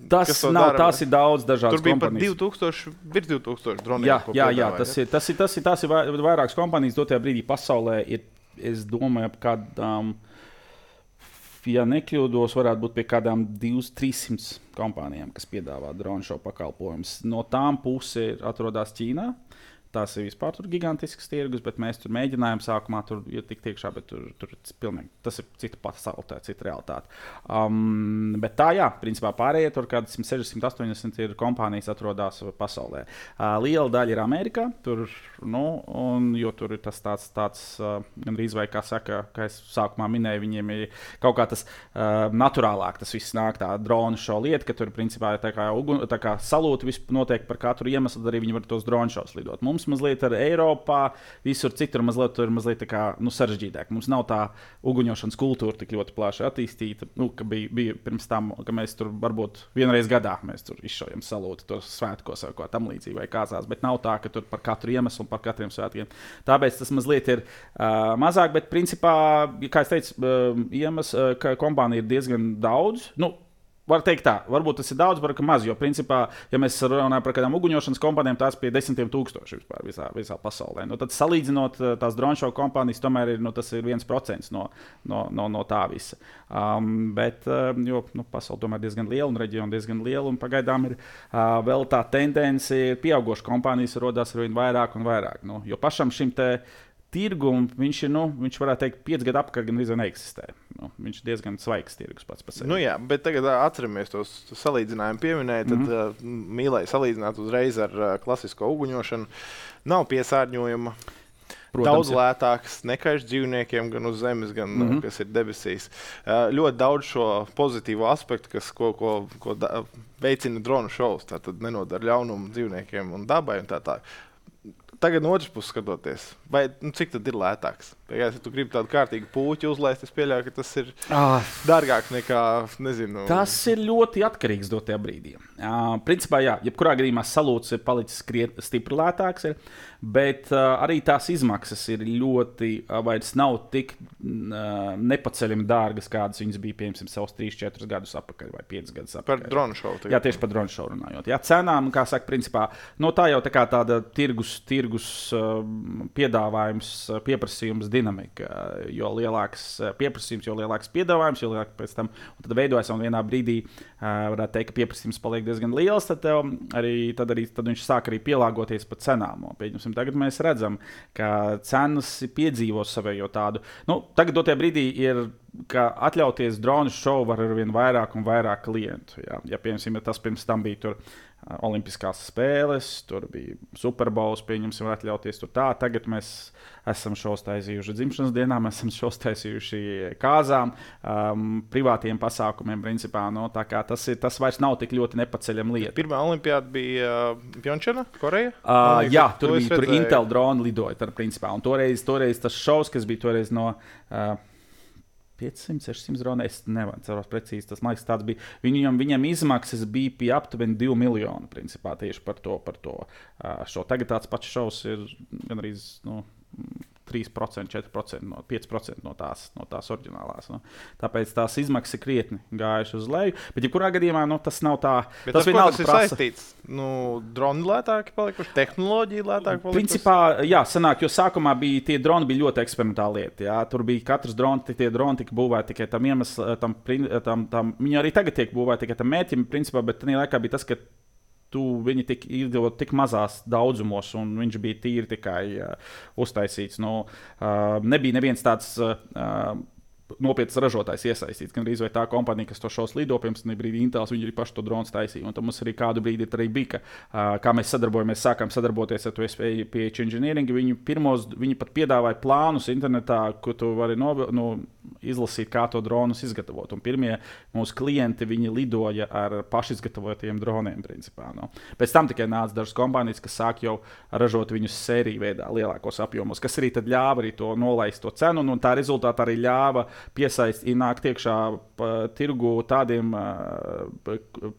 Speaker 1: Tas nav, dara, tās ir daudz dažādas kompānijas.
Speaker 2: Tur bija pat divtūkstoši, virs divtūkstoši droniem.
Speaker 1: Jā, jā, jā, tas ir, tas ir, tas ir, tas ir vairākas kompānijas. Dotajā brīdī pasaulē ir, es domāju, ap kādām... Ja nekļūdos, varētu būt pie kādām divām, trīssimām kompānijām, kas piedāvā dronu šo pakalpojumus. No tām puse atrodas Ķīnā. Tās ir vispār gigantisks tirgus, bet mēs tur mēģinājām sākumā tur tikt iekšā, bet tur, tur pilnīgi, tas ir cita pasaule, tā ir cita realitāte. Um, bet tā, jā, principā pārējie tur kādi simt sešdesmit, astoņdesmit ir kompānijas atrodas pasaulē. Uh, liela daļa ir Amerikā, tur, nu, un, jo tur ir tas tāds, tāds uh, gandrīz vai, kā saka, kā es sākumā minēju, viņiem ir kaut kā tas uh, naturālāk, tas viss nāk tā dronu šo lietu, ka tur principā tā kā, ugun, tā kā salūti visu notiek par katru iemeslu, tad arī viņi var tos dronu šos lidot. Mums mazliet ar Eiropā, visur citur mazliet, tur mazliet tā kā, nu, sarežģītāk. Mums nav tā uguņošanas kultūra tik ļoti plaši attīstīta, nu, ka bija, bija pirms tam, ka mēs tur varbūt vienreiz gadā mēs tur izšaujam salūti tos svētkos vai ko tam līdzīgi vai kāzās, bet nav tā, ka tur par katru iemeslu un par katriem svētkiem. Tāpēc tas mazliet ir uh, mazāk, bet principā, kā es teicu, uh, iemesls, uh, ka kompānija ir diezgan daudz, nu, var teikt tā, varbūt tas ir daudz, varbūt maz, jo principā, ja mēs runājam par kādām uguņošanas kompānijām, tās pie desmitiem tūkstoši vispār visā, visā pasaulē. Nu, tad salīdzinot tās dronšovu kompānijas, tomēr ir, nu, tas ir viens procents no, no, no, no tā visa. Um, bet, uh, jo, nu, pasaule tomēr diezgan liela un reģiona diezgan liela, un pagaidām ir uh, vēl tā tendence, ir pieaugoša kompānijas rodās ar vien vairāk un vairāk. Nu, jo pašam šim te tirgum viņš ir, nu, viņš varētu teikt, pieci gadu apkārt gan arī neeksistē. Nu, viņš ir diezgan svaigs tirgus pats par sevi.
Speaker 2: Nu jā, bet tagad atceramies tos salīdzinājumu pieminēja, tad mm-hmm. uh, mīlēja salīdzināt uzreiz ar uh, klasisko uguņošanu. Nav piesārņojuma. Protams, daudz lētāks, nekaiš dzīvniekiem gan uz zemes, gan mm-hmm. kas ir debesīs. Uh, ļoti daudz šo pozitīvo aspektu, kas, ko, ko, ko da, veicina dronu šovs, tātad nenodara ļaunumu dzīvniekiem un dabai un tā tā. Tagad no otras puses skatoties, vai, nu, cik tad ir lētāks? Ja tu gribi tādu kārtīgu puķi uzlaist, es pieļauju, ka tas ir ah. dārgāks nekā, nezinu...
Speaker 1: Tas ir ļoti atkarīgs no tajā brīdī. Uh, principā, jā, jebkurā gadījumā salūts ir palicis kriet, stipri lētāks, ir, bet uh, arī tās izmaksas ir ļoti, uh, vairs nav tik uh, nepaceļami dārgas, kādas viņas bija, piemēram, savus trīs četrus gadus atpakaļ vai piecus gadus atpakaļ.
Speaker 2: Par dronu šovu.
Speaker 1: Jā, tieši par dronu šovu runājot. Jā, cenām, kā saka, principā, no tā jau tā kā tāda tirgus, tirgus piedāvājums, pieprasījums, dinamika. Jo lielāks pieprasījums, jo lielāks piedāvājums, jo lielāks pēc tam. Un tad veidojas un vienā brīdī, varētu teikt, ka pieprasījums paliek diezgan liels, tad, arī, tad, arī, tad viņš sāk arī pielāgoties pa cenām. Pieņemsim, tagad mēs redzam, ka cenas piedzīvo savējo tādu. Nu, tagad dotajā brīdī ir, ka atļauties dronu šovu var ar vien vairāk un vairāk klientu. Jā. Ja, piemēram, ja tas pirms tam bija tur Olimpiskās spēles, tur bija Superbowls, pieņemsim, var atļauties tur tā. Tagad mēs esam šos taisījuši dzimšanas dienā, mēs esam šos taisījuši kāzām, um, privātiem pasākumiem, principā. No, tā kā tas, ir, tas vairs nav tik ļoti nepaceļama lieta.
Speaker 2: Pirmā olimpiāda bija uh, Pjončana, Koreja?
Speaker 1: Uh, jā, tur bija tur Intel droni lidoja, tar, principā. Un toreiz, toreiz tas šovs, kas bija toreiz no... Uh, piecsimt, sešsimt droni, es nevaru precīzi, tas man liekas tāds bija. Viņam, viņam izmaksas bija pie aptuveni divi miljoni, principā, tieši par to, par to šo. Tagad tāds pats šovs ir gan arī, nu, trīs procenti, četri procenti, no, pieci procenti no tās, no tās oriģinālās. Nu. Tāpēc tās izmaksas ir krietni gājušas uz leju. Bet, ja kurā gadījumā, nu, tas nav tā...
Speaker 2: Bet tas, tas, tas ir prasa... saistīts? Nu, droni lētāki palikuši, tehnoloģija lētāki palikuši?
Speaker 1: Principā, jā, sanāk, jo sākumā bija, tie droni bija ļoti eksperimentāli lieti. Jā. Tur bija katrs droni, tie droni tika būvēti tikai tam iemeslam, tam, tam, tam, viņi arī tagad tiek būvēti tikai tam mērķim, principā, bet tajā laikā bija tas, ka tu viņi tik izdevot tik mazās daudzumos, un viņš bija tīri tikai uh, uztaisīts. Nu, uh, nebija neviens tāds uh, nopietns ražotājs iesaistīts. Gan arī tā kompānija, kas to šos lido, piemēram, brīdī Intels, viņi arī paši to drons taisīja. Un tad mums arī kādu brīdi arī bija, ka, uh, kā mēs sadarbojamies, sākām sadarboties ar to P H Engineering. Viņi, pirmos, viņi pat piedāvāja plānus internetā, ko tu vari no, nu, izlasīt, kā to dronus izgatavot. Un pirmie mūsu klienti, viņi lidoja ar pašizgatavotiem droniem, principā. Nu. Pēc tam tikai nāca dažas kompānijas, kas sāk jau ražot viņus sēriju veidā, lielākos apjomos, kas arī tad ļāva arī to nolaist to cenu, un tā rezultātā arī ļāva piesaist, ienākt iekšā tirgu tādiem,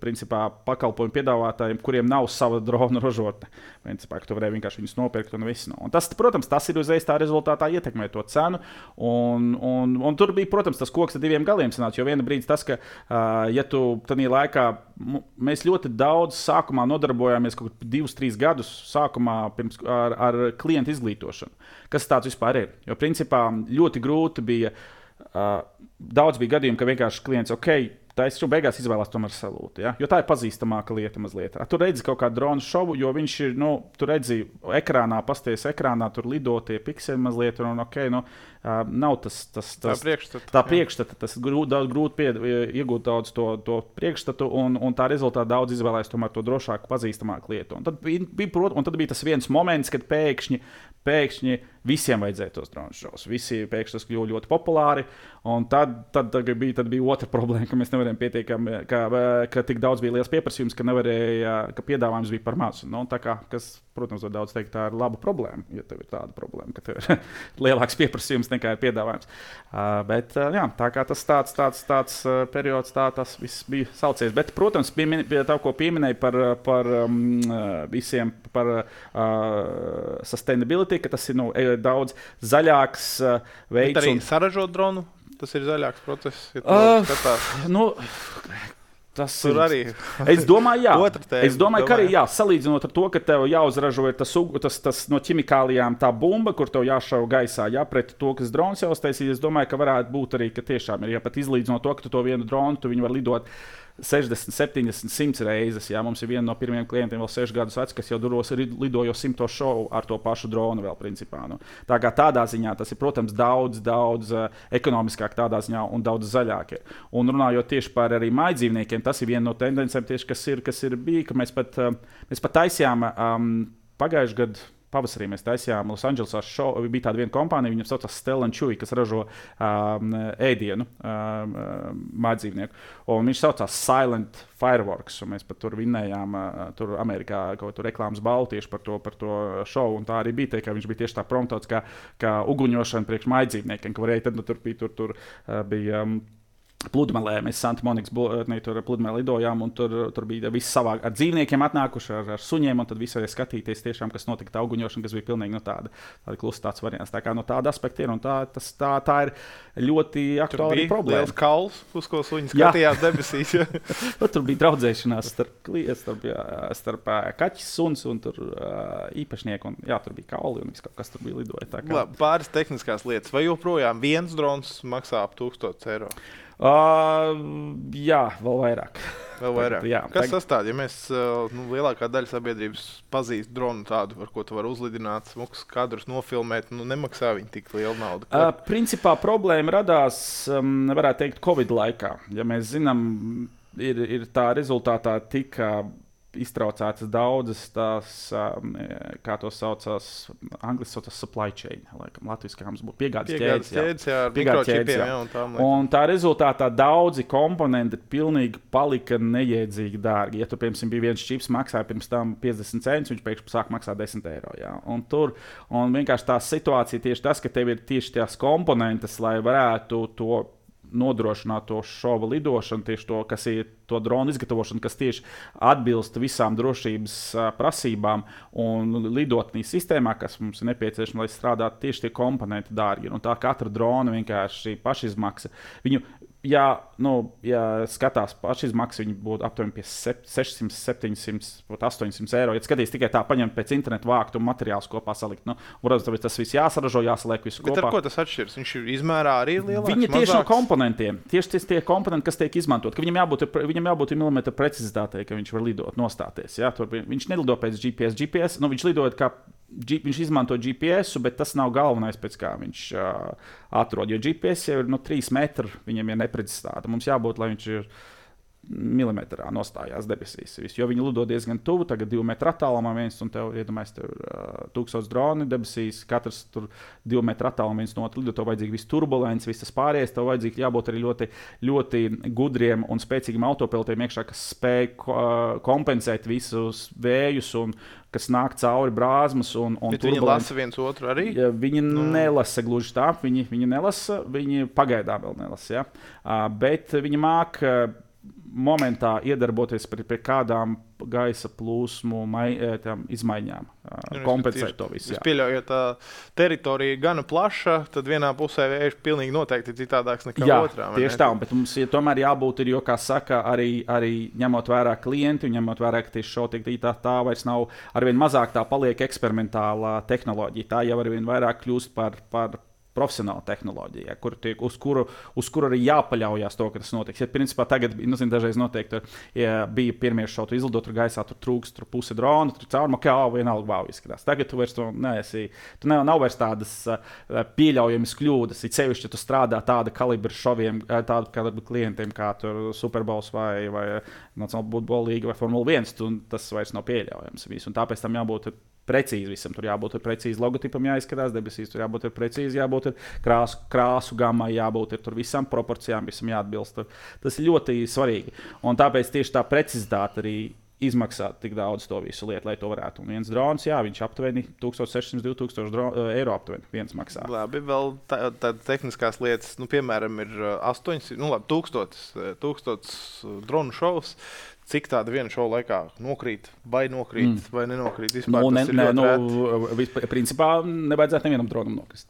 Speaker 1: principā, pakalpojumu piedāvātājiem, kuriem nav sava drona ražotne. Principā, ka tu varēji vienkārši viņus nopirkt un viss. Un tas, protams, tas ir uzreiz tā rezultātā ietekmē to cenu. Un, un, un tur bija, protams, tas koks ar diviem galiem sanāca, jo viena brīdis tas, ka, uh, ja tu tajā laikā, mēs ļoti daudz sākumā nodarbojāmies kaut kādus divus, trīs gadus sākumā pirms, ar, ar klientu izglītošanu. Kas tāds vispār ir? Jo, principā, ļoti grūti bija, uh, daudz bija gadījumi, ka vienkārši klients, ok, tā es jau beigās izvēlās tomēr salūtu, ja? Jo tā ir pazīstamāka lieta mazliet. Tu redzi kaut kādu dronu šovu, jo viņš ir, nu, tu redzi ekrānā, pasties ekrānā, tur lido tie pikseli mazliet, un ok, nu, uh, nav tas, tas, tas
Speaker 2: tā priekšstata.
Speaker 1: Tā priekšstata, tas grūti, daudz grūti pie, iegūt daudz to, to priekšstatu, un, un tā rezultātā daudz izvēlēs tomēr to drošāku, pazīstamāku lietu. Un tad bija, bija, un tad bija tas viens moments, kad pēkšņi, pēkšņi visiem vajadzēja tos dronu šovus. Visi pēkšņi tas kļuva ļoti populāri, un tad, tad, tad, bija, tad bija otra problēma, ka mēs nevarējām pietiekami, ka, ka tik daudz bija liels pieprasījums, ka nevarēja, ka piedāvājums bija par mazu. Nu, tā kā, kas, protams, var daudz teikt, tā ir laba problēma, ja tev ir tāda problēma, ka tev ir lielāks pieprasījums nekā ir piedāvājums. Uh, bet, uh, jā, tā kā tas tāds, tāds, tāds uh, periods, tā tas viss bija saucies. Bet, protams, piemin, pie tā, ko pieminēja par, par um, visiem, par uh, sustainability, ka tas ir, nu, daudz zaļāks uh, veids.
Speaker 2: Bet arī
Speaker 1: un...
Speaker 2: saražot dronu, tas ir zaļāks process, ja tu
Speaker 1: uh,
Speaker 2: skatās.
Speaker 1: Nu, tas
Speaker 2: tur
Speaker 1: ir
Speaker 2: arī.
Speaker 1: Es domāju, jā.
Speaker 2: tēma,
Speaker 1: Es domāju, ka arī jā, salīdzinot ar to, ka tev jāuzražo tas, tas, tas no ķimikālijām tā bumba, kur tev jāšauj gaisā, jā, pret to, kas drons jau uztaisīs. Es domāju, ka varētu būt arī, ka tiešām ir, ja pat izlīdzinot to, ka tu to vienu dronu, tu viņu var lidot sešdesmit, septiņdesmit, simt reizes. Jā. Mums ir viena no pirmajiem klientiem, vēl sešu gadus vecs, kas jau duros lidojo simto šovu ar to pašu dronu vēl principā. Nu. Tā kā tādā ziņā tas ir, protams, daudz, daudz uh, ekonomiskāk tādā ziņā un daudz zaļāk. Ir. Un runājot tieši par arī mājdzīvniekiem, tas ir viena no tendencēm tieši, kas ir, kas ir bija, ka mēs pat, uh, mēs pat taisījām um, pagājušajā gadā. Pavasarī mēs taisījām Losandželosā šovu. Bija tāda viena kompānija, viņam saucās Stella and Chewy, kas ražo um, ēdienu um, mājdzīvnieku. Un viņš saucās Silent Fireworks. Mēs pat tur vinnējām uh, tur Amerikā kaut kādu reklāmas balvu tieši par to, par to šovu. Un tā arī bija, te, ka viņš bija tieši tā promotots kā, kā uguņošana priekš mājdzīvniekiem, ka varēja tad nu, tur bija, tur, tur, uh, bija um, pludmalē. Mēs Santa Monikas pludmalē lidojām, un tur, tur bija viss savā ar dzīvniekiem atnākuši, ar, ar suņiem, un tad visi varēja skatīties tiešām, kas notika tā uguņošana, kas bija pilnīgi no tāda, tāda klusa tāds variants. Tā kā no tāda aspekta ir, un tā, tas, tā, tā ir ļoti aktuāla problēma.
Speaker 2: Liels kauls, uz ko suņi skatījās debesīs. Ja?
Speaker 1: Tur bija draudzēšanās starp, starp, jā, starp kaķis, suns un tur īpašnieku, un jā, tur bija kauli, un viss kaut kas tur bija lidoja. Tā kā...
Speaker 2: Pāris tehniskās lietas. Vai joprojām viens drons maksā ap tūkstotis eiro?
Speaker 1: Uh, jā, vēl vairāk.
Speaker 2: Vēl vairāk.
Speaker 1: jā,
Speaker 2: Kas
Speaker 1: tag...
Speaker 2: tas tāds? Ja mēs, nu, lielākā daļa sabiedrības pazīst dronu tādu, ar ko tu vari uzlidināt, smukus kadrus nofilmēt, nu nemaksā viņi tik lielu naudu.
Speaker 1: Uh, principā problēma radās, um, varētu teikt, Covid laikā. Ja mēs zinām, ir, ir tā rezultātā tika iztraucētas daudzas tās, um, kā to saucās, angliski saucās supply chain, laikam, latviski, kā mums būtu piegādes ķēdes.
Speaker 2: ķēdes, jā, ar
Speaker 1: piegādes ķēdes, jā.
Speaker 2: jā, un, tām,
Speaker 1: un tā rezultātā daudzi komponenti pilnīgi palika neiedzīgi dārgi. Ja tur, piemēram, bija viens čips, maksāja pirms tam piecdesmit centus, viņš pēkšņi sāk maksāt desmit eiro. Jā. Un tur, un vienkārši tā situācija tieši tas, ka tev ir tieši tās komponentes, lai varētu to nodrošināt to šova lidošanu, tieši to, kas ir to dronu izgatavošanu, kas tieši atbilst visām drošības uh, prasībām un lidotnī sistēmā, kas mums ir nepieciešama, lai strādātu tieši tie komponenti dārgi. Un tā katra drona vienkārši pašizmaksa. Viņu, ja, nu, ja skatās pašizmaksa, viņi būtu aptuveni pie sešsimt, septiņsimt, astoņsimt eiro. Ja skatīs tikai tā, paņemt pēc interneta vākt un materiālus kopā salikt. Nu, protams, tas viss jāsaražo, jāsaliek visu
Speaker 2: Bet
Speaker 1: kopā.
Speaker 2: Bet ar ko tas atšķirs? Viņš izmērā arī lielāks,
Speaker 1: Viņi tieši
Speaker 2: mazāks?
Speaker 1: no komponentiem. Tieši tie komponenti, kas tiek izmantot. Ka viņam jābūt, viņam jābūt milimetra precizitātei, ka viņš var lidot, nostāties. Ja? Tur viņš nelido pēc G P S. G P S nu, viņš lidoja kā G, viņš izmanto G P S, bet tas nav galvenais, pēc kā viņš uh, atrod. Jo G P S jau ir no trīs metri, viņam ir neprecizitāte. Mums jābūt, lai viņš ir milimetrā nostājās debesīs. Jo viņi lido diezgan tuvu, tagad divu metru attālumā viens, un tev, iedomājies, tev ir uh, tūkstots droni debesīs, katrs tur divu metru attālumā viens no otru lido, tev vajadzīgi viss turbulents, viss tas pārējais, tev vajadzīgi jābūt arī ļoti, ļoti gudriem un spēcīgiem autopilotiem iekšā, kas spēj uh, kompensēt visus vējus un kas nāk cauri brāzmas un, un
Speaker 2: turbulents. Viņi lasa viens otru arī?
Speaker 1: Ja, viņi nu. nelasa gluži tā, viņi, viņi nelasa, viņi pagaidām vēl nelasa, ja? uh, bet viņi māk uh, momentā iedarboties pie, pie kādām gaisa plūsmu mai, tām izmaiņām, uh, kompensēt to visu.
Speaker 2: Es pieļauju, ja tā teritorija gana plaša, tad vienā pusē vējš pilnīgi noteikti tādāks nekā
Speaker 1: jā,
Speaker 2: otrā.
Speaker 1: Tieši tā, bet mums ja tomēr jābūt, ir, jo, kā saka, arī, arī ņemot vērā klienti un ņemot vērā, ka tieši šotiek tā, tā vairs nav, arvien mazāk tā paliek eksperimentālā tehnoloģija. Tā jau arvien vairāk kļūst par, par profesionāla tehnoloģija, kur tiek, uz, kuru, uz kuru arī jāpaļaujas to, ka tas notiks. Ja, principā, tagad nu, zin, dažreiz notiek, tur, ja bija pirmie šautu izlidot, tur gaisā tur trūks, tur puse drona, tur caurumā, kā vienalga vau izskatās. Tagad tu vairs to neesi, tu nav, nav vairs tādas uh, pieļaujamas kļūdas. It sevišķi, ja tu strādā tāda kalibra šoviem, tāda kalibra klientiem, kā tur Super Bowls vai, vai Nacionāla futbola līga vai Formula viens, tu, tas vairs nav pieļaujams. Visu. Un tāpēc tam jābūt precīzi visam. Tur jābūt precīzi logotipam, jāizskatās debesīs, tur jābūt precīzi, jābūt krāsu, krāsu gammai, jābūt tur visam proporcijām, visam jāatbilst. Tur. Tas ir ļoti svarīgi. Un tāpēc tieši tā precizitāte arī izmaksā tik daudz to visu lietu, lai to varētu. Un viens drons, jā, viņš aptuveni tisíc sešsimt līdz divtūkstoši eiro aptuveni viens maksā.
Speaker 2: Labi, vēl tādas tā tehniskās lietas, nu, piemēram, ir astoņsimt, nu, labi, tūkstotis, tūkstotis dronu šovs. Cik tāda viena šova laikā nokrīt, vai nokrīt, mm. vai nenokrīt? Vispār,
Speaker 1: nu, ne, ne, nu, vispār, principā nevajadzētu nevienam dronam nokrist.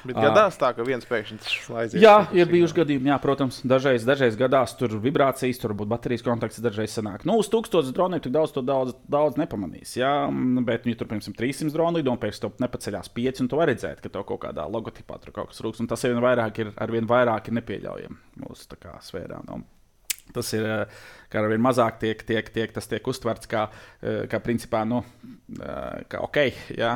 Speaker 2: Bet gadās tā, ka viens pēkšņi aizies.
Speaker 1: Jā, ir bijuši gadījumi, jā, protams. Dažreiz, dažreiz gadās tur vibrācijas, tur būtu baterijas kontakts, dažreiz sanāk. Nu, uz tūkstotis droniem tik daudz to daudz, daudz nepamanīs, jā. Bet, ja tur, piemēram, trīssimt droni lido un pēc tam nepaceļās pieci, un tu vari redzēt, ka to kaut kādā logotipā tur kaut kas rūks. Un tas ar vien vairāk ir, ar vien vairāk ir nepieļaujami mūsu tā kā sfērā. Nu. Tas ir, kā ar vien mazāk tiek, tiek, tiek, tas tiek uztverts kā, kā principā, nu, kā ok, jā,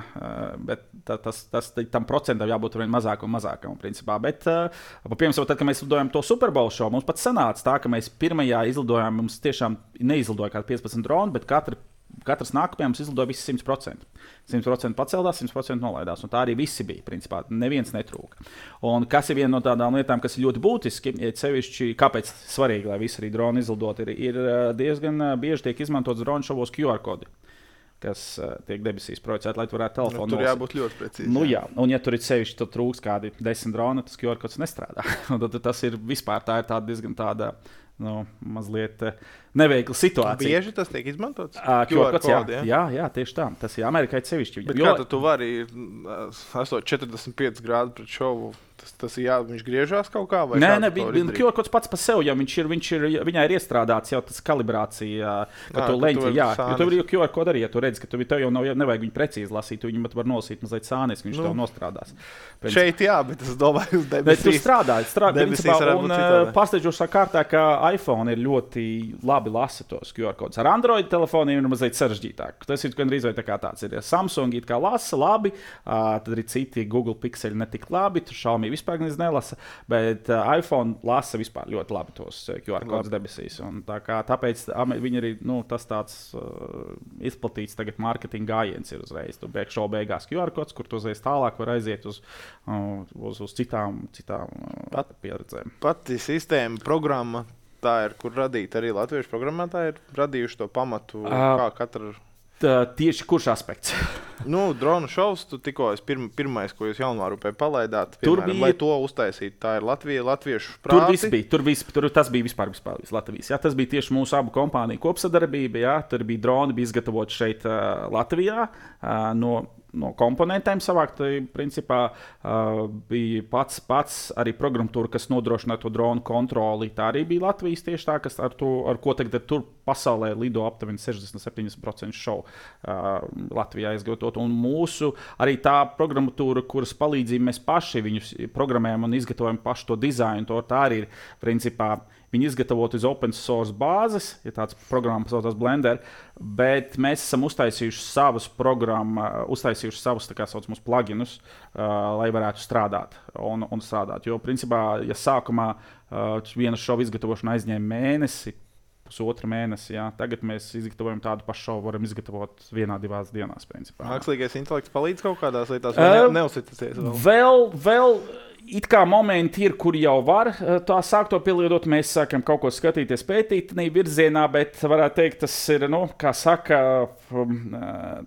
Speaker 1: bet tas, tas, tam procentam jābūt ar vien mazāk un mazākam, principā. Bet, piemēram, tad, kad mēs lidojam to Super Bowl šovu, mums pat sanāca tā, ka mēs pirmajā izlidojām, mums tiešām neizlidoja kādi piecpadsmit droni, bet katra Katrs nākamajam izlidoja visi simt procenti. simt procenti pacēlās, simt procenti nolaidās. Un tā arī visi bija. Principā neviens netrūka. Un kas ir viena no tādām lietām, kas ir ļoti būtiski, ir sevišķi, kāpēc svarīgi, lai visi arī droni izlidot, ir, ir diezgan bieži tiek izmantots dronu šovos Q R kodi, kas uh, tiek debesīs projicēti, lai tu varētu telefonu
Speaker 2: nu, tur jābūt ļoti precīzi.
Speaker 1: Nu, jā. Jā. Un ja tur ir sevišķi, tad trūks kādi desmit droni, tas Q R kods nestrādā. tad tas ir vispār tā ir tāda diezgan tāda, nu, mazliet neveikla situācija.
Speaker 2: Bieži tas tiek izmantots?
Speaker 1: Uh, Q R kods, jā, jā? jā, jā, tieši tā. Tas ir Amerikai sevišķi.
Speaker 2: Bet jo... kā tu vari, esot četrdesmit pieci grādi pret šovu, tas, tas ir jā, viņš griežās kaut kā? Vai
Speaker 1: nē, nē, Q R kods pats par sevi, ja viņš ir, viņš ir, viņai ir iestrādāts jau tas kalibrācija, ka tu leņķi, jā, jo tu vari Q R kodu arī, ja tu redzi, ka tu, tev jau nav, nevajag viņu precīzi lasīt, tu viņu var nosīt mazliet sānis, ka viņš nu, tev nostrādās. Pēc...
Speaker 2: Šeit jā, bet es domāju, uz debesīs.
Speaker 1: Bet tu strādā, strādā, principā, un pārsteidzošā kārtā, ka iPhone ir ļoti labi lasa tos Q R kodus. Ar Android telefoniem ir mazliet sarežģītāk. Tas ir gandrīz vai tā kā tāds ir. Samsung it kā lasa labi, uh, tad arī citi Google Pixeli netik labi, tur Xiaomi vispār nelasa, bet uh, iPhone lasa vispār ļoti labi tos Q R kodus debesīs. Un tā kā, tāpēc viņi arī, nu, tas tāds uh, izplatīts tagad marketinga gājiens ir uzreiz. Tu beig šo beigās Q R kods, kur tu uzreiz tālāk var aiziet uz, uh, uz, uz citām, citām uh, Pat, pieredzēm.
Speaker 2: Pati sistēma, programma, tā ir, kur radīt arī latviešu programmētāji ir radījuši to pamatu, uh, kā katra...
Speaker 1: Tā, tieši kurš aspekts?
Speaker 2: nu, dronu šovs, tu tikko es pirm, pirmais, ko jūs Jaunvārupē palaidāt, piemēram, bija... lai to uztaisītu, tā ir Latvija, latviešu prāti.
Speaker 1: Tur viss bija, tur, viss, tur tas bija vispār, vispār Latvijas. Jā, tas bija tieši mūsu abu kompāniju kopsadarbība, jā, tur bija droni, bija izgatavoti šeit uh, Latvijā uh, no... no komponentiem savākt, principā uh, bija pats, pats arī programmatūra, kas nodrošināja to dronu kontroli. Tā arī bija Latvijas tieši tā, kas ar, to, ar ko tagad tur pasaulē lido aptuveni sešdesmit līdz septiņdesmit procenti šovu uh, Latvijā izgatavot. Un mūsu arī tā programmatūra, kuras palīdzību mēs paši viņus programmējam un izgatavojam pašu to dizainu, to tā arī ir principā. Viņi izgatavot uz open source bāzes, ja tāds programma saucās Blender, bet mēs esam uztaisījuši savus programmu, uztaisījuši savus, tā kā saucamus, pluginus, uh, lai varētu strādāt un, un strādāt. Jo, principā, ja sākumā uh, viena šova izgatavošana aizņēma mēnesi, pusotra mēnesi. Jā. Tagad mēs izgatavojam tādu pašu šovu, varam izgatavot vienā, divās dienās. Principā,
Speaker 2: mākslīgais intelekts palīdz kaut kādās lietās, vai uh, ne, neuzticēties vēl?
Speaker 1: Vēl, vēl it kā momenti ir, kur jau var tā sākt to pielietot. Mēs sākam kaut ko skatīties, pētīt tādā virzienā, bet varētu teikt, tas ir, nu, kā saka,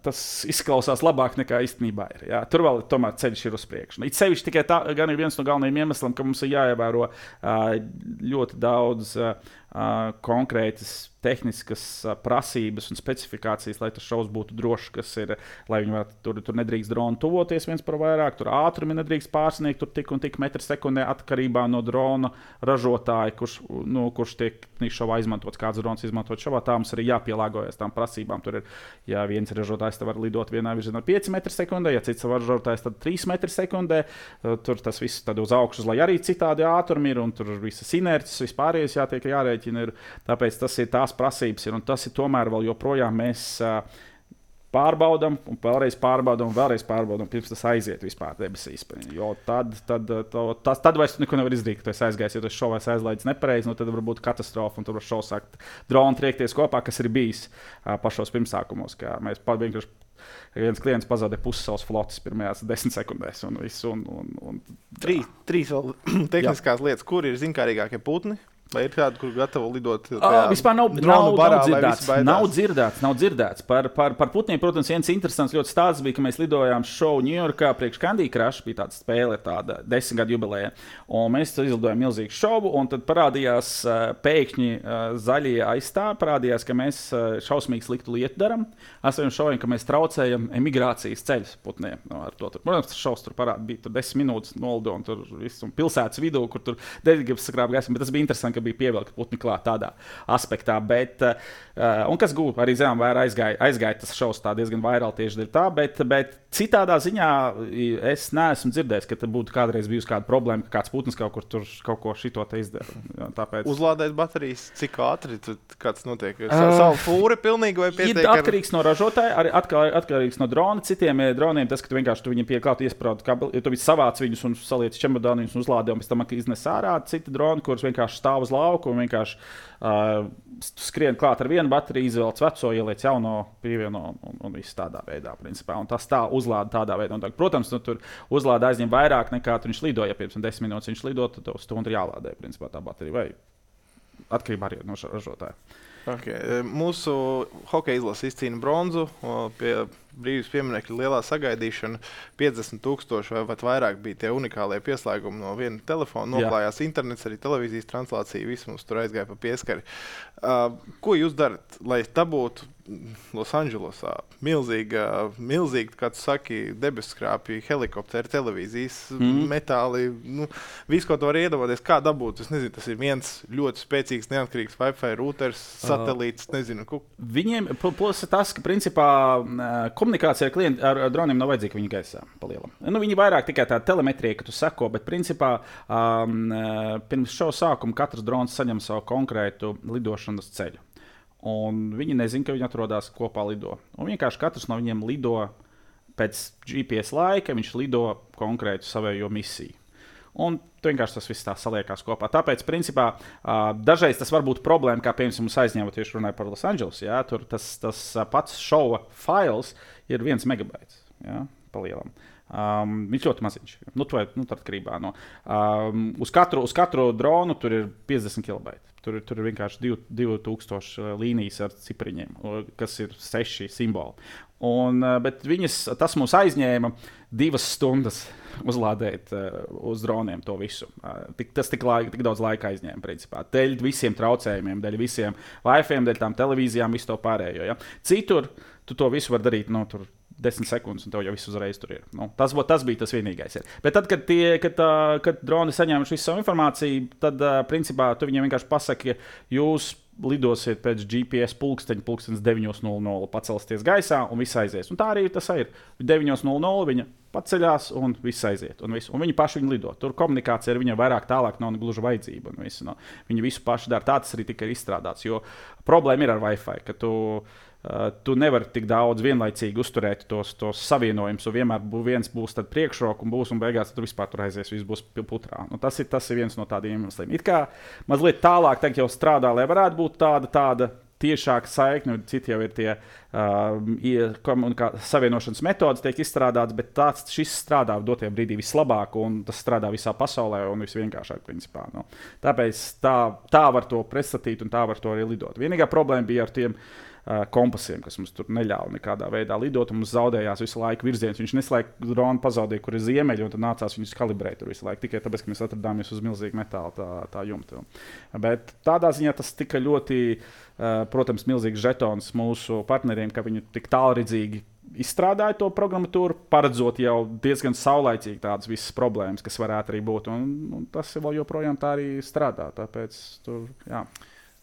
Speaker 1: tas izklausās labāk nekā īstenībā ir. Jā. Tur vēl tomēr ceļš ir uz priekšu. It sevišķi tikai tā, gan ir viens no galvenajiem iemesliem, ka mums ir jāievēro ļoti daudz konkrētas tehniskas prasības un specifikācijas, lai tas šovs būtu drošs, kas ir, lai viņi varētu, tur, tur nedrīkst dronu tuvoties viens par vairāk, tur ātrumi nedrīkst pārsniegt, tur tik un tik metri sekundē atkarībā no drona ražotāja, kurš, nu, kurš tiek šovā izmantots, kāds drons izmantot šovā, tā mums arī jāpielāgojas tām prasībām. Tur ir, ja viens ražotājs var lidot vienā virzienā pieci metri sekundē, ja cits ražotājs tad trīs metri sekundē, tur tas viss tad uz augšas, lai arī citādi ātrumi ir, un tur visas inerces, vispārējais jātiek jārēķina ir, tāpēc tas ir tās prasības ir, un tas ir tomēr vēl joprojām mēs uh, pārbaudam, un vēlreiz pārbaudam, un vēlreiz pārbaudam, pirms tas aiziet vispār debesīs. Jo tad, tad, to, tas, tad vairs neko nevar izdarīt, ka tu esi aizgājis, ja tu esi šovais aizlaidis nepareizi, nu tad var būt katastrofa, un tur var šovs sākt droni triekties kopā, kas ir bijis uh, pašos pirmsākumos, kā mēs vienkārši viens klients pazaudēja pusi savas flotes pirmajās desmit sekundēs, un visu, un, un, un
Speaker 2: trīs, trīs vēl tehniskās jā. Lietas, kur ir zinkārīgākie putni? Vai ir kāda, kur gatava lidot?
Speaker 1: Uh, vispār nav, nav, barā, nav, dzirdēts, nav dzirdēts. Nav dzirdēts. Par, par, par putniem, protams, viens interesants ļoti stāsts bija, ka mēs lidojām šovu Ņujorkā priekš Candy Crush, bija tāda spēle, tāda desmit gadu jubileja. Un mēs izlidojām milzīgu šovu, un tad parādījās uh, pēkšņi uh, zaļie aizstāvi, parādījās, ka mēs uh, šausmīgi sliktu lietu daram. Esam šoviem, ka mēs traucējam emigrācijas ceļus putniem. No, to, tur, protams, tas šovs tur parāda, bija tur desmit minūtes nolido, un tur viss, un pilsētas vidū, kur tur deļģības sakrāba gaismu, bet tas bija interesanti, ka bija pievilkta putni klāt tādā aspektā, bet, uh, un kas gūp, arī zinām, vērā aizgāja, aizgāja tas šovs tā diezgan vairāk tieši dēļ tā, bet, bet citādā ziņā es neesmu dzirdējis, ka būtu kādreiz bijusi kāda problēma, ka kāds putns kaut kur tur kaut ko šito te izdara. Tāpēc...
Speaker 2: Uzlādēt baterijas, cik ātri tu, kāds notiek? Uh, Savu fūri pilnīgi vai pietiek?
Speaker 1: Ir atkarīgs ar... no ražotāja, arī atkal, atkarīgs no drona. Citiem droniem tas, ka tu vienkārši tu viņiem pieklāt iesprādi kabeli, ja tu visu savāc viņus un saliec čemodānu viņus un uzlādē, un pēc tam iznes ārā. Citi droni, kurus vienkārši stāv uz lauku un vienkārši uh, skrien klāt ar vienu bateriju, izvēlec veco, ieliec jauno, pievieno un, un viss tādā veidā, principā. Un tas tā uzlāda tādā veidā. Un, tā, protams, nu, tur uzlāda aizņem vairāk nekā viņš lidoja. Ja pirms desmit minūtes viņš lido, tad uz stundu ir jālādē, principā, tā baterija vai atkarībā arī no ražotāja.
Speaker 2: Okay. Mūsu hokeja izlase izcīna bronzu pie brīvības pieminekļa lielā sagaidīšana. piecdesmit tūkstoši vai pat vairāk bija tie unikālie pieslēgumi no viena telefona. Noklājās Jā. Internets, arī televīzijas translācija, viss mums tur aizgāja pa pieskari. Uh, ko jūs darat, lai tā būtu Losandželosā? Milzīga, milzīga, kā tu saki, debesskrāpji, helikopteri, televīzijas, mm. metāli, nu, visu, ko tu vari iedomāties, kā dabūt. Es nezinu, tas ir viens ļoti spēcīgs, neatkarīgs Wi-Fi routers, satelīts, nezinu. Ku...
Speaker 1: Viņiem, plus tas, ka principā komunikācija ar klientu, ar droniem nav vajadzīga viņa gaisā palielam. Nu, viņi vairāk tikai tā telemetrija, ka tu seko, bet principā um, pirms šo sākumu katrs drons saņem savu konkrētu lidošanas ceļu. Un viņi nezina, ka viņi atrodas kopā lido. Un vienkārši katrs no viņiem lido pēc G P S laika, viņš lido konkrētu savējo misiju. Un vienkārši tas viss tā saliekās kopā. Tāpēc, principā, dažreiz tas var būt problēma, kā piemēram mums aizņēma tieši runāja par Los Angeles. Jā, tur tas, tas pats šova fails ir viens megabaits, jā, palielam. Um, viņš ļoti maziņš. Nu, to ir nu, atkarībā no. Um, uz, katru, uz katru dronu tur ir piecdesmit kilobaiti. Tur, tur ir vienkārši divi tūkstoši līnijas ar cipriņiem, kas ir seši simboli. Un, bet viņas, tas mums aizņēma divas stundas uzlādēt uh, uz droniem to visu. Uh, tik, tas tik, laika, tik daudz laika aizņēma, principā. Dēļ visiem traucējumiem, dēļ visiem Wi-Fi, dēļ tām televīzijām, visu to pārējo. Ja? Citur tu to visu var darīt, nu, tur desmit sekundes, un tev jau viss uzreiz tur ir. Nu, tas, tas bija tas vienīgais. Ir. Bet tad, kad, tie, kad, uh, kad droni saņēmuši visu savu informāciju, tad, uh, principā, tu viņiem vienkārši pasaki, jūs lidosiet pēc G P S pulksteņa, pulkstenis deviņi nulle nulle, pacelsties gaisā, un viss aizies. Un tā arī tas ir. deviņi nulle nulle viņa paceļās un viss aiziet. Un, visu. un viņi paši viņu lido. Tur komunikācija ar viņiem vairāk tālāk nav gluži vajadzība. Visu, no. Viņi visu paši dara. Tā tas arī tika izstrādāts. Jo problēma ir ar Wi-Fi, ka tu, uh, tu nevari tik daudz vienlaicīgi uzturēt tos, tos savienojumus. Vienmēr bū, viens būs priekšroka un būs un beigās tur vispār tur aizies, viss būs putrā. Nu, tas, ir, tas ir viens no tādiem iemesliem. It kā mazliet tālāk tagad jau strādā, lai varētu būt tāda, tāda tiešāka saikne, citi jau ir tie uh, savienošanas metodas, tiek izstrādātas, bet tāds šis strādā dotajā brīdī vislabāk, un tas strādā visā pasaulē un visvienkāršāk, principā. Nu. Tāpēc tā, tā var to pretstatīt un tā var to arī lidot. Vienīgā problēma bija ar tiem uh, kompasiem, kas mums tur neļāva nekādā veidā lidot, un mums zaudējās visu laiku virziens. Viņš neslēdz dronu pazaudēja, kur ir ziemeļi, un tad nācās viņus kalibrēt tur visu laiku, tikai tāpēc, ka mēs atradāmies uz milzīgu metāla tā, tā jumta. Bet tādā ziņā tas tika ļoti Uh, protams, milzīgs žetons mūsu partneriem, ka viņi tik tālredzīgi izstrādāja to programmatūru, paredzot jau diezgan saulaicīgi tādas visas problēmas, kas varētu arī būt. Un, un tas vēl joprojām tā arī strādā. Tāpēc tur, jā.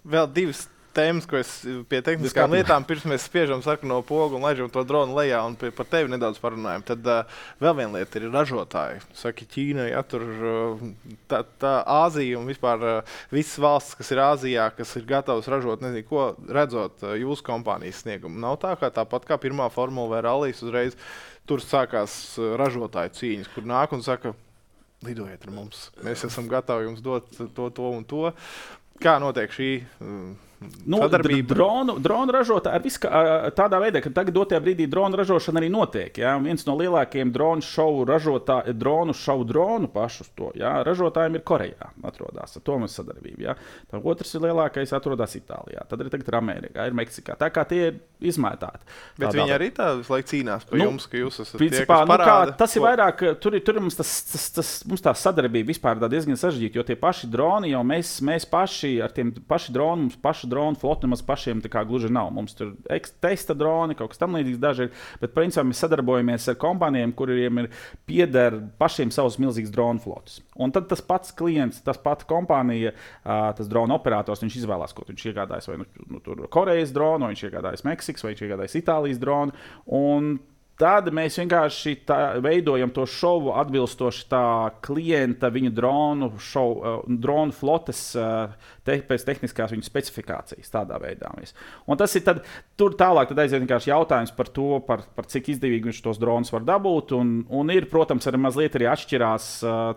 Speaker 2: Vēl divas tēmas, ko es pie tehniskām lietām, pirms mēs spiežam sarkano pogu un laižam to dronu lejā un pie, par tevi nedaudz parunājam. Tad uh, vēl viena lieta ir ražotāji. Saki, Ķīna, ja tur uh, tā, tā Āzija un vispār uh, visas valstis, kas ir Āzijā, kas ir gatavas ražot, nezinu, ko redzot uh, jūsu kompānijas sniegumu. Nav tā, kā tāpat kā pirmā formula vai rallijas uzreiz tur sākās uh, ražotāju cīņas, kur nāk un saka, lidojiet ar mums, mēs esam gatavi jums dot to, to un to. Kā notiek šī uh,
Speaker 1: Nu, dronu, dronu ražotāji tādā veidā, ka tagad dotajā brīdī dronu ražošana arī notiek. Ja? Viens no lielākajiem dronu šovu ražotājiem, dronu šovu dronu pašus to ja? ražotājiem ir Korejā. Atrodas, ar to mums sadarbība. Ja? Tad otrs ir lielākais atrodas Itālijā. Tad arī tagad ir Amerikā, ir Meksikā. Tā kā tie ir izmētāti.
Speaker 2: Bet viņi arī tā visu laiku cīnās par nu, jums, ka jūs esat
Speaker 1: principā,
Speaker 2: tie, kas parāda.
Speaker 1: Nu kā, tas ir vairāk, tur, tur mums, tas, tas, tas, mums tā sadarbība vispār ir diezgan sarežģīta, jo tie paši droni jau mēs, mēs paši ar tiem paši droni, mums paši dronu flotu nemaz pašiem tā kā gluži nav. Mums tur ir testa droni, kaut kas tam līdzīgs daži ir, bet principā mēs sadarbojamies ar kompānijiem, kuriem ir pieder pašiem savus milzīgus dronu flotus. Un tad tas pats klients, tas pats kompānija, tas drona operators, viņš izvēlās, ko viņš iegādājas, vai nu, nu, tur Korejas dronu, vai viņš iegādājas Meksikas, vai viņš iegādājas Itālijas dronu. Un tad mēs vienkārši tā, veidojam to šovu atbilstoši tā klienta, viņa dronu, šovu, dronu flotes te, pēc tehniskās viņa specifikācijas. Tādā veidā. Un tas ir tad, tur tālāk tad aiziet vienkārši jautājums par to, par, par cik izdevīgi viņš tos dronus var dabūt. Un, un ir, protams, arī mazliet arī atšķirās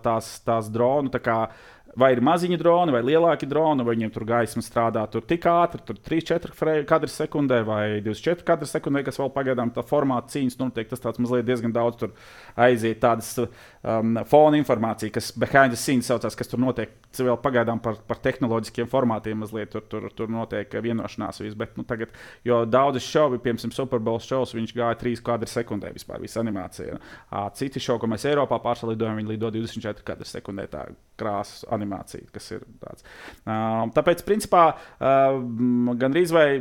Speaker 1: tās, tās dronu. Tā kā, vai ir maziņi droni, vai lielāki droni, vai viņiem tur gaisma strādā tur tik ātri, tur trīs četri kadri sekundē, vai divdesmit četri kadri sekundē, kas vēl pagaidām tā formāta cīņas notiek. Tas tāds mazliet diezgan daudz tur aiziet tādas um, fona informācija, kas behind the scenes saucās, kas tur notiek. Vēl pagaidām par, par tehnoloģiskiem formātiem mazliet tur, tur, tur notiek vienošanās. Viss, bet, nu, tagad, jo daudzas šovi, piemēram, Super Bowl šovs, viņš gāja trīs kadri sekundē vispār, visa animācija. Citi šovi, ko mēs Eiropā pārsalidojam, viņi lido divdesmit četri kadri sekundē tā krāsas animācija, kas ir tāds. Uh, tāpēc, principā, uh, gandrīz vai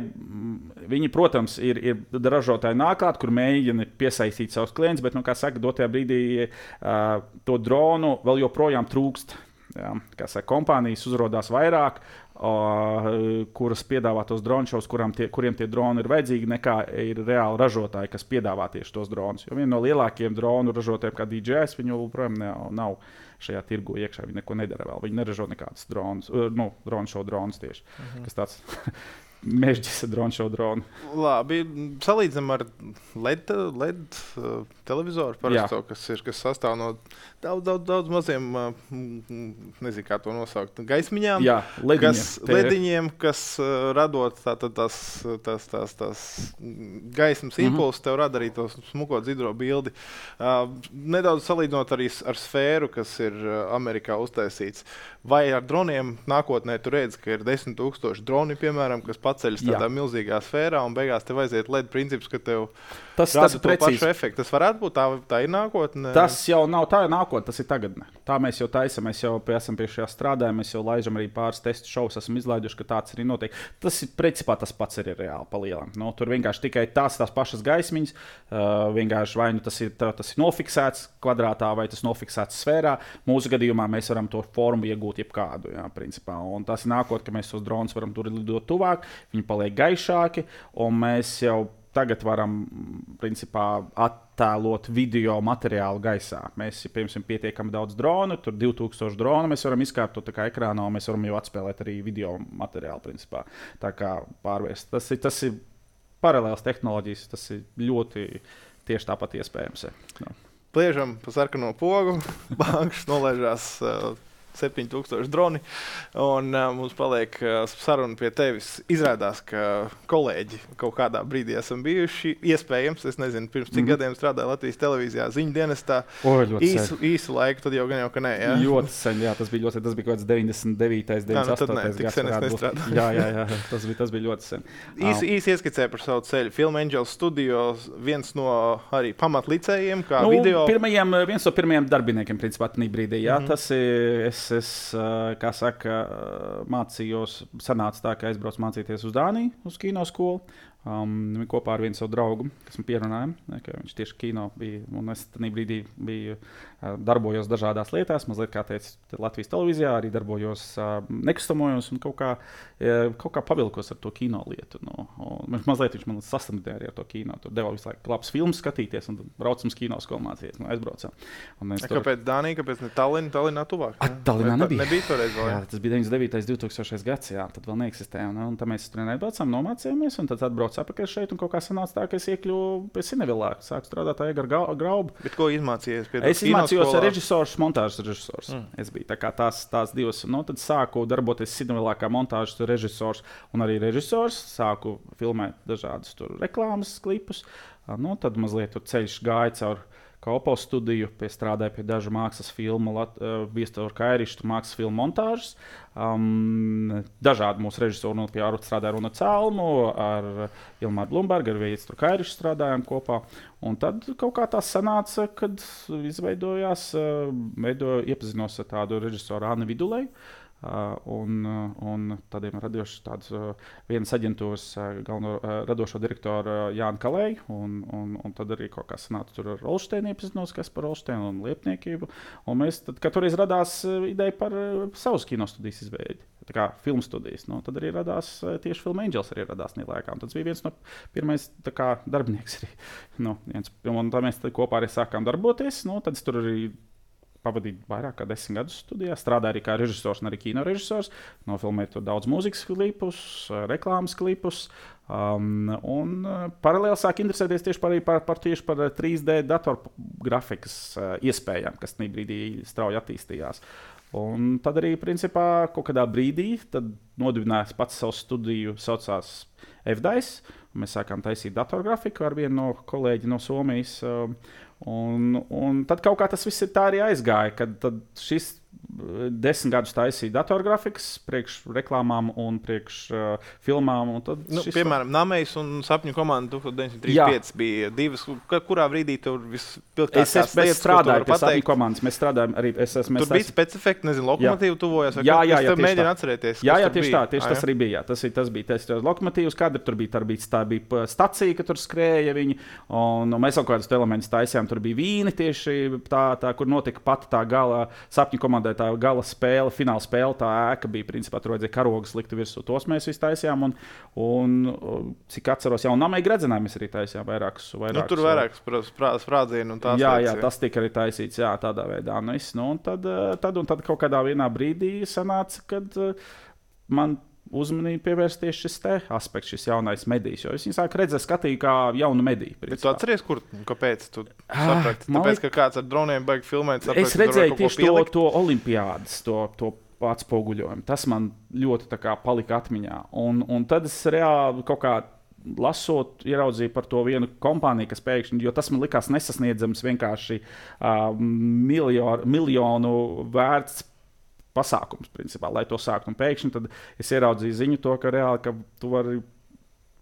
Speaker 1: viņi, protams, ir, ir ražotāji nāklāt, kur mēģina piesaistīt savus klientus, bet, nu, kā saka, dotajā brīdī uh, to dronu vēl joprojām trūkst. Jā, kā saka, kompānijas uzrādās vairāk, uh, kuras piedāvā tos dronu šovus, tie, kuriem tie droni ir vajadzīgi, nekā ir reāli ražotāji, kas piedāvā tieši tos dronus. Jo viena no lielākajiem dronu ražotājiem, kā D J I, viņu joprojām nav, nav šajā tirgu iekšā. Viņi neko nedara vēl. Viņi neražo nekādus dronus, uh, nu, dronu šovu dronus tieši. Uh-huh. Kas tāds mežģis dronu šovu dronu. Labi,
Speaker 2: salīdzinām ar L E D, L E D uh, televizoru parasto, kas ir, kas sastāv no daudz, daudz, daudz maziem, uh, nezinu, kā to nosaukt, gaismiņām.
Speaker 1: Jā, lediņiem.
Speaker 2: Kas, lediņiem, kas uh, radot tā, tā, tās, tās, tās, tās gaismas impulsus, mm-hmm. tev rada arī to smuko dzidro bildi. Uh, nedaudz salīdzinot arī ar sfēru, kas ir uh, Amerikā uztaisīts. Vai ar droniem nākotnē tu redzi, ka ir desmit tūkstoši droni, piemēram, kas paceļas tādā Jā. milzīgā sfērā, un beigās tev aiziet L E D princips, ka tev
Speaker 1: tas,
Speaker 2: rada
Speaker 1: tas
Speaker 2: to pašu efektu. Tas varētu būt, tā, tā ir nākotne?
Speaker 1: Tas jau nav tā ir nākotne, tas ir tagadne. Tā mēs jau taisam, mēs jau pie, esam pie šajā strādājam, mēs jau laižam arī pāris testu šovus, esam izlaiduši, ka tāds arī notiek. Tas ir principā tas pats arī reāli palielam. Nu, tur vienkārši tikai tās, tās pašas gaismiņas, uh, vienkārši vai nu tas ir, tā, tas ir nofiksēts kvadrātā, vai tas nofiksēts sfērā. Mūsu gadījumā mēs varam to formu iegūt jebkādu, jā, principā. Un tas ir nākotne, ka mēs tos dronus varam tur lidot tuvāk, viņi paliek gaišāki, un mēs jau tagad varam principā attēlot video materiālu gaisā. Mēs, piemēram, pietiekami daudz dronu, tur divi tūkstoši dronu mēs varam izkāpt tā kā ekrānā, un mēs varam jau atspēlēt arī video materiālu, principā. Tā kā pārvērst. Tas ir, tas ir paralēls tehnoloģijas, tas ir ļoti tieši tāpat iespējams. No.
Speaker 2: Pliežam pa sarkano pogu, bankas nolaižās uh, septiņi tūkstoši droni, un uh, mums paliek uh, saruna pie tevis. Izrādās, ka kolēģi kaut kādā brīdī esam bijuši. Iespējams, es nezinu, pirms cik mm-hmm. gadiem strādāju Latvijas televīzijā ziņu dienestā.
Speaker 1: O, īsu,
Speaker 2: īsu laiku, tad jau gan jau, ka nē. Jā?
Speaker 1: Ļoti sen, jā, tas bija ļoti sen. Tas bija kaut kāds deviņdesmit devītais, deviņdesmit astotais
Speaker 2: gads. Sen es nestrādāju.
Speaker 1: Jā, jā, jā, tas bija, tas bija ļoti sen.
Speaker 2: Īsi īs ieskicē par savu ceļu. Film Angels Studios, viens no arī pamatlicējiem, kā
Speaker 1: nu,
Speaker 2: video.
Speaker 1: Pirmajiem, viens no pirmajiem darbiniekiem, principā, tādā brīdī, jā, mm-hmm. tas ir, es, es, kā saka, mācījos, sanāca tā, ka aizbraucu mācīties uz Dāniju, uz kinoskolu. Um, kopā ar vienu savu draugu, kas man pierunāja, ne, ka viņš tieši kino bija, un es tajā brīdī biju, uh, darbojos dažādās lietās, mazliet kā teicu, Latvijas televīzijā, arī darbojos, uh, nekustamojos un kaut kā, uh, kaut kā pavilkos ar to kino lietu. No, un mazliet viņš man sastamdēja arī ar to kino, tur deva visu laiku labs filmas skatīties, un braucam uz kinoskolu mācīties, no aizbraucam. Un
Speaker 2: a, tur... Kāpēc Dānija, kāpēc ne Tallinn, Tallinnā tuvāk?
Speaker 1: A, Tallinnā nebija.
Speaker 2: Nebija toreiz vēl?
Speaker 1: Jā, tas bija deviņdesmit devītais, divtūkstošais gads, jā, tad vēl neeksistēja, un, un tad mēs tur neatbraucām, nomācījāmies, un tad atbrauc apakaļ šeit, un kaut kā sanāca tā, ka es iekļuvu pie Sinevilā, sāku strādāt ar Egaru Graubu.
Speaker 2: Bet ko izmācījies?
Speaker 1: Es izmācījos ar režisors, montāžas režisors. Mm. Es biju tā kā tās, tās divas. Nu, tad sāku darboties Sinevilā kā montāžas režisors un arī režisors. Sāku filmēt dažādus tur reklāmas klipus. Nu, tad mazliet tur ceļš gāja caur Kopo studiju, pie strādāja pie dažu mākslas filmu, uh, Viestura Kairištu mākslas filmu montāžas. Um, dažādi mūsu režisori, nu, pie Arut strādāja Runa Celmu, ar Ilmāru Blumbergu, ar Viestura Kairištu strādājām kopā. Un tad kaut kā tā sanāca, kad izveidojās, uh, veido, iepazinos ar tādu režisoru Annu Vidulēju. Uh, un, uh, un tādiem radījuši tādas uh, vienas aģentūras uh, galveno uh, radošo direktoru uh, Jānu Kalēju, un, un, un tad arī kaut kā sanāca tur ar Olšteinu iepazinos, kas par Olšteinu un liepniekību. Un mēs tad, kad toreiz radās uh, ideja par uh, savus kinostudijas izveidi, tā kā filmu studijas, nu, tad arī radās uh, tieši Film Angels arī radās nīlēkā. Un tas bija viens no pirmais tā kā darbinieks arī. Nu, viens, un tā mēs kopā arī sākām darboties, nu, tad es tur arī pavadīju vairāk kā desmit gadus studijā. Strādāju arī kā režisors un arī kino režisors. Nofilmēju tur daudz mūzikas klipus, reklāmas klipus. Um, un uh, paralēli sāk interesēties tieši par, par, par, tieši par trīs D datorgrafikas uh, iespējām, kas tajā brīdī strauji attīstījās. Un tad arī, principā, kaut kādā brīdī nodibinājās pats savu studiju, saucās F D A I S. Mēs sākām taisīt datorgrafiku ar vienu no kolēģi no Somijas. Uh, Un, un tad kaut kā tas viss ir tā arī aizgāja, kad šis desmit gadus taisīja datorgrafikas priekš reklāmām un priekš uh, filmām. Un tad
Speaker 2: nu,
Speaker 1: šis
Speaker 2: piemēram, Namejs un Sapņu komanda tūkstoš deviņsimt trīsdesmit pieci bija divas. Kurā brīdī tur vispilgtākās
Speaker 1: lietas, ko tu vari pateikt? Es strādāju pie Sapņu komandas. Mēs strādājam arī. Es, es,
Speaker 2: tur bija specifekti, nezinu, lokomotīvu tuvojās.
Speaker 1: Jā, jā, jā,
Speaker 2: mēģinu atcerēties.
Speaker 1: Jā, jā, tieši tā. Tieši tas arī bija. Jā. Tas, tas bija tas lokomotīvs, kāda tur bija. Tur bija, tā bija stacija, ka tur skrēja viņi. Un, un mēs kaut kādus elementus taisījām. Tur bija vīni tieši tā, tā kur notika pati tā gala Sapņu komandai. Tā gala spēle, fināla spēle, tā ēka bija, principā, tur vajadzēja karogas likt virsū. Tos mēs visi taisījām, un, un cik atceros, jau un Namei Gredzenē mēs arī taisījām vairākus. vairākus
Speaker 2: nu, tur vairākus sprādzienu un tās
Speaker 1: jā,
Speaker 2: lietas.
Speaker 1: Jā, tas tika arī taisīts, jā, tādā veidā. Nu, es, nu, un, tad, tad, un tad kaut kādā vienā brīdī sanāca, kad man uzmanību pievērst tieši šis te aspekts, šis jaunais medijs. Jo es viņu sāku redzēt, skatīju kā jaunu mediju.
Speaker 2: Bet tu atceries, kur, kāpēc tu saprati? Tāpēc, ka kāds ar droniem baigi filmēt, saprati,
Speaker 1: es redzēju tieši to, to olimpiādas, to, to atspoguļojumu. Tas man ļoti tā kā palika atmiņā. Un, un tad es reāli kaut kā lasot, ieraudzīju par to vienu kompāniju, kas pēkšņi, jo tas man likās nesasniedzams vienkārši uh, miljonu, miljonu vērts pasākums, principā, lai to sāktu. Un pēkšņi tad es ieraudzīju ziņu to, ka reāli, ka tu vari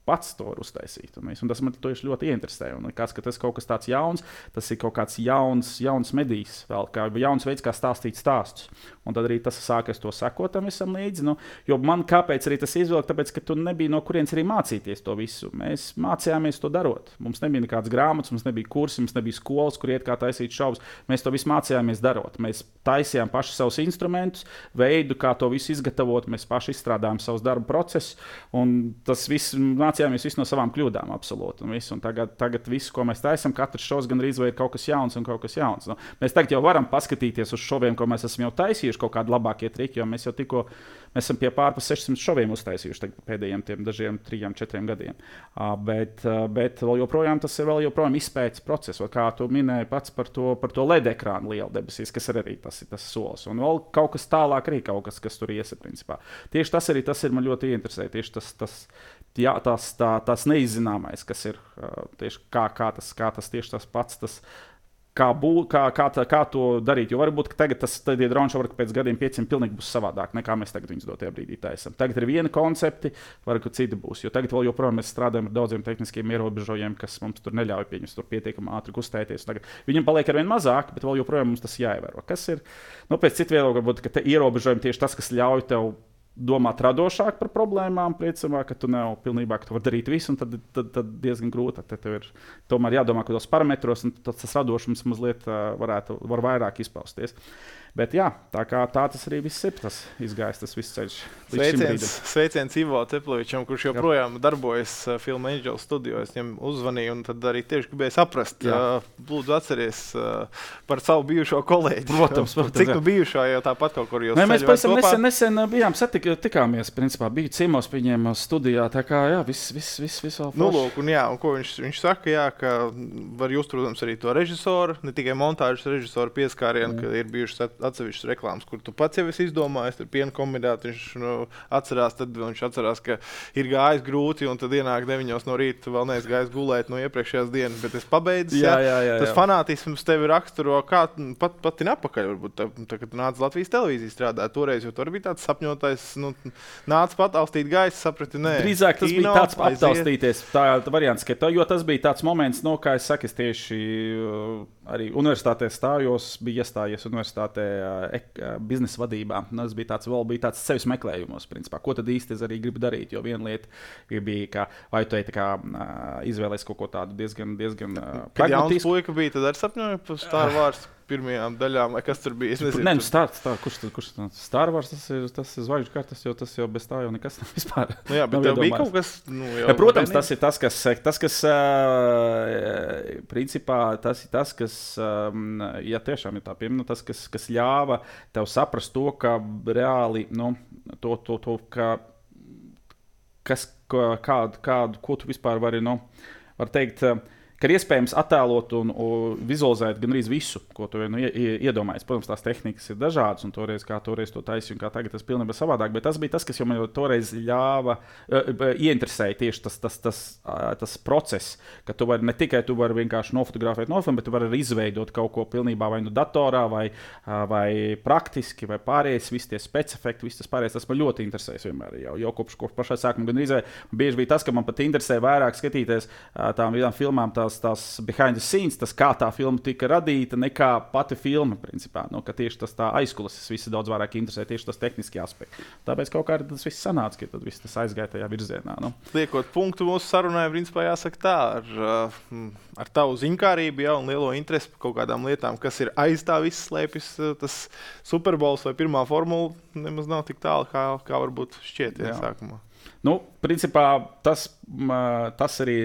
Speaker 1: pats to var uztaisīt. Un, un tas man tieši ļoti ieinteresēja. Un likās, ka tas kaut kas tāds jauns, tas ir kaut kāds jauns, jauns medijs, vēl kā jauns veids, kā stāstīt stāstus. Un tad arī tas sākas to sekot tam visam līdzi. Nu, jo man kāpēc arī tas izvilka? Tāpēc, ka tu nebija no kurienes arī mācīties to visu. Mēs mācījāmies to darot. Mums nebija nekādas grāmatas, mums nebija kursi, mums nebija skolas, kur iet kā taisīt šovus. Mēs to visu mācījāmies darot. Mēs taisījām paši savus instrumentus, veidu, kā to visu izgatavot. Mēs paši izstrādājām savus darba procesus. Un tas viss mācījāmies mācījāmies visu no savām kļūdām, absolūti. Un visu, un tagad, tagad visu, ko mēs taisām, katrs šovs gan arī ir kaut kas jauns un kaut kas jauns. Nu, mēs tagad jau varam paskatīties uz šoviem, ko mēs esam jau taisījuši, kaut kādi labākie triki, jo mēs jau tikko mēs esam pie pārpa sešsimt šoviem uztaisījuši pēdējiem tiem dažiem trijiem, četriem gadiem. Uh, bet, uh, bet vēl joprojām tas ir vēl joprojām izpētes process, kā tu minēji pats par to, par to L E D ekrānu lielu debesīs, kas ir arī tas, tas solis. Un vēl kaut kas tālāk arī kaut kas, kas tur iesa principā. Tieši tas arī tas ir man ļoti interesē. Tieši tas, tas, jā, tas, tā, tas neizzināmais, kas ir uh, tieši kā, kā, tas, kā tas tieši tas pats, tas, kā, bū, kā, kā, tā, kā to darīt. Jo varbūt tagad tas tie droni šobrīd pēc gadiem pieciem pilnīgi būs savādāk, nekā mēs tagad viņus dotajā brīdī taisam. Tagad ir viena koncepti, varbūt cita būs. Jo tagad vēl joprojām mēs strādājam ar daudziem tehniskiem ierobežojumiem, kas mums tur neļauj pieņemt tur pietiekami ātri kustēties. Tagad viņam paliek arvien mazāk, bet vēl joprojām mums tas jāievēro. Kas ir, nu, pēc citu viedokļu, varbūt, ka te ierobežojumi tieši tas, kas ļauj tev domāt radošāk par problēmām, priecamā, ka tu nav pilnībā, ka tu vari darīt visu, un tad, tad, tad diezgan grūti. Tad tev ir tomēr jādomā kādos parametros, un tas radošums mazliet varētu, var vairāk izpausties. Bet jā, tā kā tā tas arī viss ir, tas izgājis, tas viss ceļš.
Speaker 2: Sveiciens, sveiciens Ivo Teplovičam, kurš joprojām jā. darbojas uh, Film Angel studio. Es viņam uzzvanīju un tad arī tieši gribēju saprast. Uh, lūdzu atceries uh, par savu bijušo kolēģi.
Speaker 1: Protams, protams.
Speaker 2: Cik nu bijušā jau tāpat kaut kur jūs
Speaker 1: ceļojāt? Mēs pavisam nesen, nesen bijām satik, tikāmies, principā, biju ciemos pie viņiem studijā, tā kā jā, viss, viss, viss, viss vēl forši.
Speaker 2: Nu, lūk, un jā, un ko viņš, viņš saka, jā, ka var just, protams, arī to režisoru, ne tikai montāžas režisoru pieskārienu, mm. ka ir bijušas atsevišķas reklāmas, kur tu pats jau esi izdomājis, tur piena kombinēti, viņš nu, atcerās, tad viņš atcerās, ka ir gājis grūti, un tad ienāk deviņos no rīta, vēl neesmu gājis gulēt no iepriekšējās dienas, bet es pabeidzu.
Speaker 1: Jā, jā, jā, jā.
Speaker 2: Tas fanātisms tevi raksturo, kā pat, pat ir apakaļ, varbūt, tā, tā, kad tu nāc Latvijas televīzijas strādāt toreiz, jo tur bija tāds sapņotais, nu, nāc pataustīt gaisu, saprati, nē.
Speaker 1: Drīzāk tas kino, bija tāds aptaustīties, tā, tā variants, ka tā, jo tas bija tāds moments, no kā es saku, es tieši uh, arī universitātē stājos, bija iestājies universitātē uh, biznesa vadībā. Tas bija tāds, vēl bija tāds sevis meklējumos, principā. Ko tad īsti es arī gribu darīt, jo viena lieta bija, ka vai tu ej tā kā uh, izvēlēs kaut ko tādu diezgan, diezgan uh,
Speaker 2: pragmatisku. Kad jauns puika bija, tad arī sapņoja par Star Wars pirmajām daļām, vai kas tur bija? Es nezinu.
Speaker 1: Nē, nu Star, star, kurš tad, kurš tad? Star Wars, tas ir, tas ir zvaigžņu kartas, jo tas jau bez tā jau nekas nav vispār.
Speaker 2: Nu jā, bet tev bija kaut kas, nu, jau
Speaker 1: ja, protams, tas ir tas, kas, tas, kas uh, principā, tas ir tas, kas, um, ja tiešām ir tā piemina, tas, kas, kas ļāva tev saprast to, ka reāli, nu, to, to, to, ka, kas, kādu, kādu, ko tu vispār vari, nu, var teikt, uh, ka ir iespējams attēlot un, un vizualizēt gan arī visu, ko tu nu, iedomājies. Protams, tās tehnikas ir dažādas, un toreiz, kā toreiz to taisīja, un kā tagad tas ir pilnībā savādāk. Bet tas bija tas, kas man jau toreiz ļāva, uh, ieinteresēja tieši tas, tas, tas, uh, tas process, ka tu vari ne tikai tu vari vienkārši nofotografēt, nofilmēt, bet tu vari arī izveidot kaut ko pilnībā vai nu datorā, vai, uh, vai praktiski, vai pārējais, visi tie specifekti, viss tas pārējais. Tas man ļoti interesēs vienmēr jau, jau kopš, kopš pašā sākuma. Gan arī bieži bija tas, ka man pat interesē vairāk skatīties uh, tām vidām filmām, tās tās behind the scenes, tas kā tā filma tika radīta, nekā pati filma, principā. Nu, ka tieši tas tā aizkulises visi daudz vairāk interesē, tieši tas tehniskie aspekti. Tāpēc kaut kā tas viss sanāca, ka tad viss tas aizgāja tajā virzienā. Nu.
Speaker 2: Liekot punktu mūsu sarunai, principā jāsaka tā, ar, ar tavu ziņkārību, ja, un lielo interesi par kaut kādām lietām, kas ir aiz tā viss slēpjas, tas Super Bowls vai pirmā formula nemaz nav tik tālu, kā, kā varbūt šķiet, ja, sākumā.
Speaker 1: Nu, principā tas, tas arī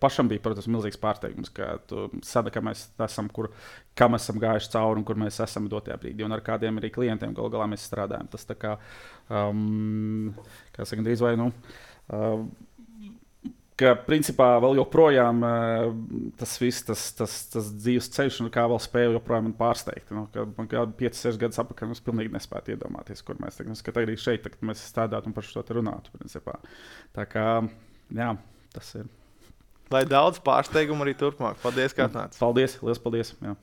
Speaker 1: pašam bija, protams, milzīgs pārsteigums, ka tu sadaki, ka mēs esam, kur, kā mēs esam gājuši cauri un kur mēs esam dotajā brīdī. Un ar kādiem arī klientiem galu galā mēs strādājam. Tas tā kā, um, kā saka, drīz vai, nu, uh, ka principā vēl joprojām uh, tas viss, tas, tas, tas dzīves ceļš, un kā vēl spēju joprojām man pārsteigt. Nu, ka man kādu piecus, sešus gadus apakaļ mēs pilnīgi nespētu iedomāties, kur mēs tagad, ka arī šeit tagad mēs strādātu un par šo te runātu, principā. Tā kā, jā, tas ir.
Speaker 2: Lai daudz pārsteigumu arī turpmāk. Paldies, kā atnāc.
Speaker 1: Paldies, liels paldies. Jā.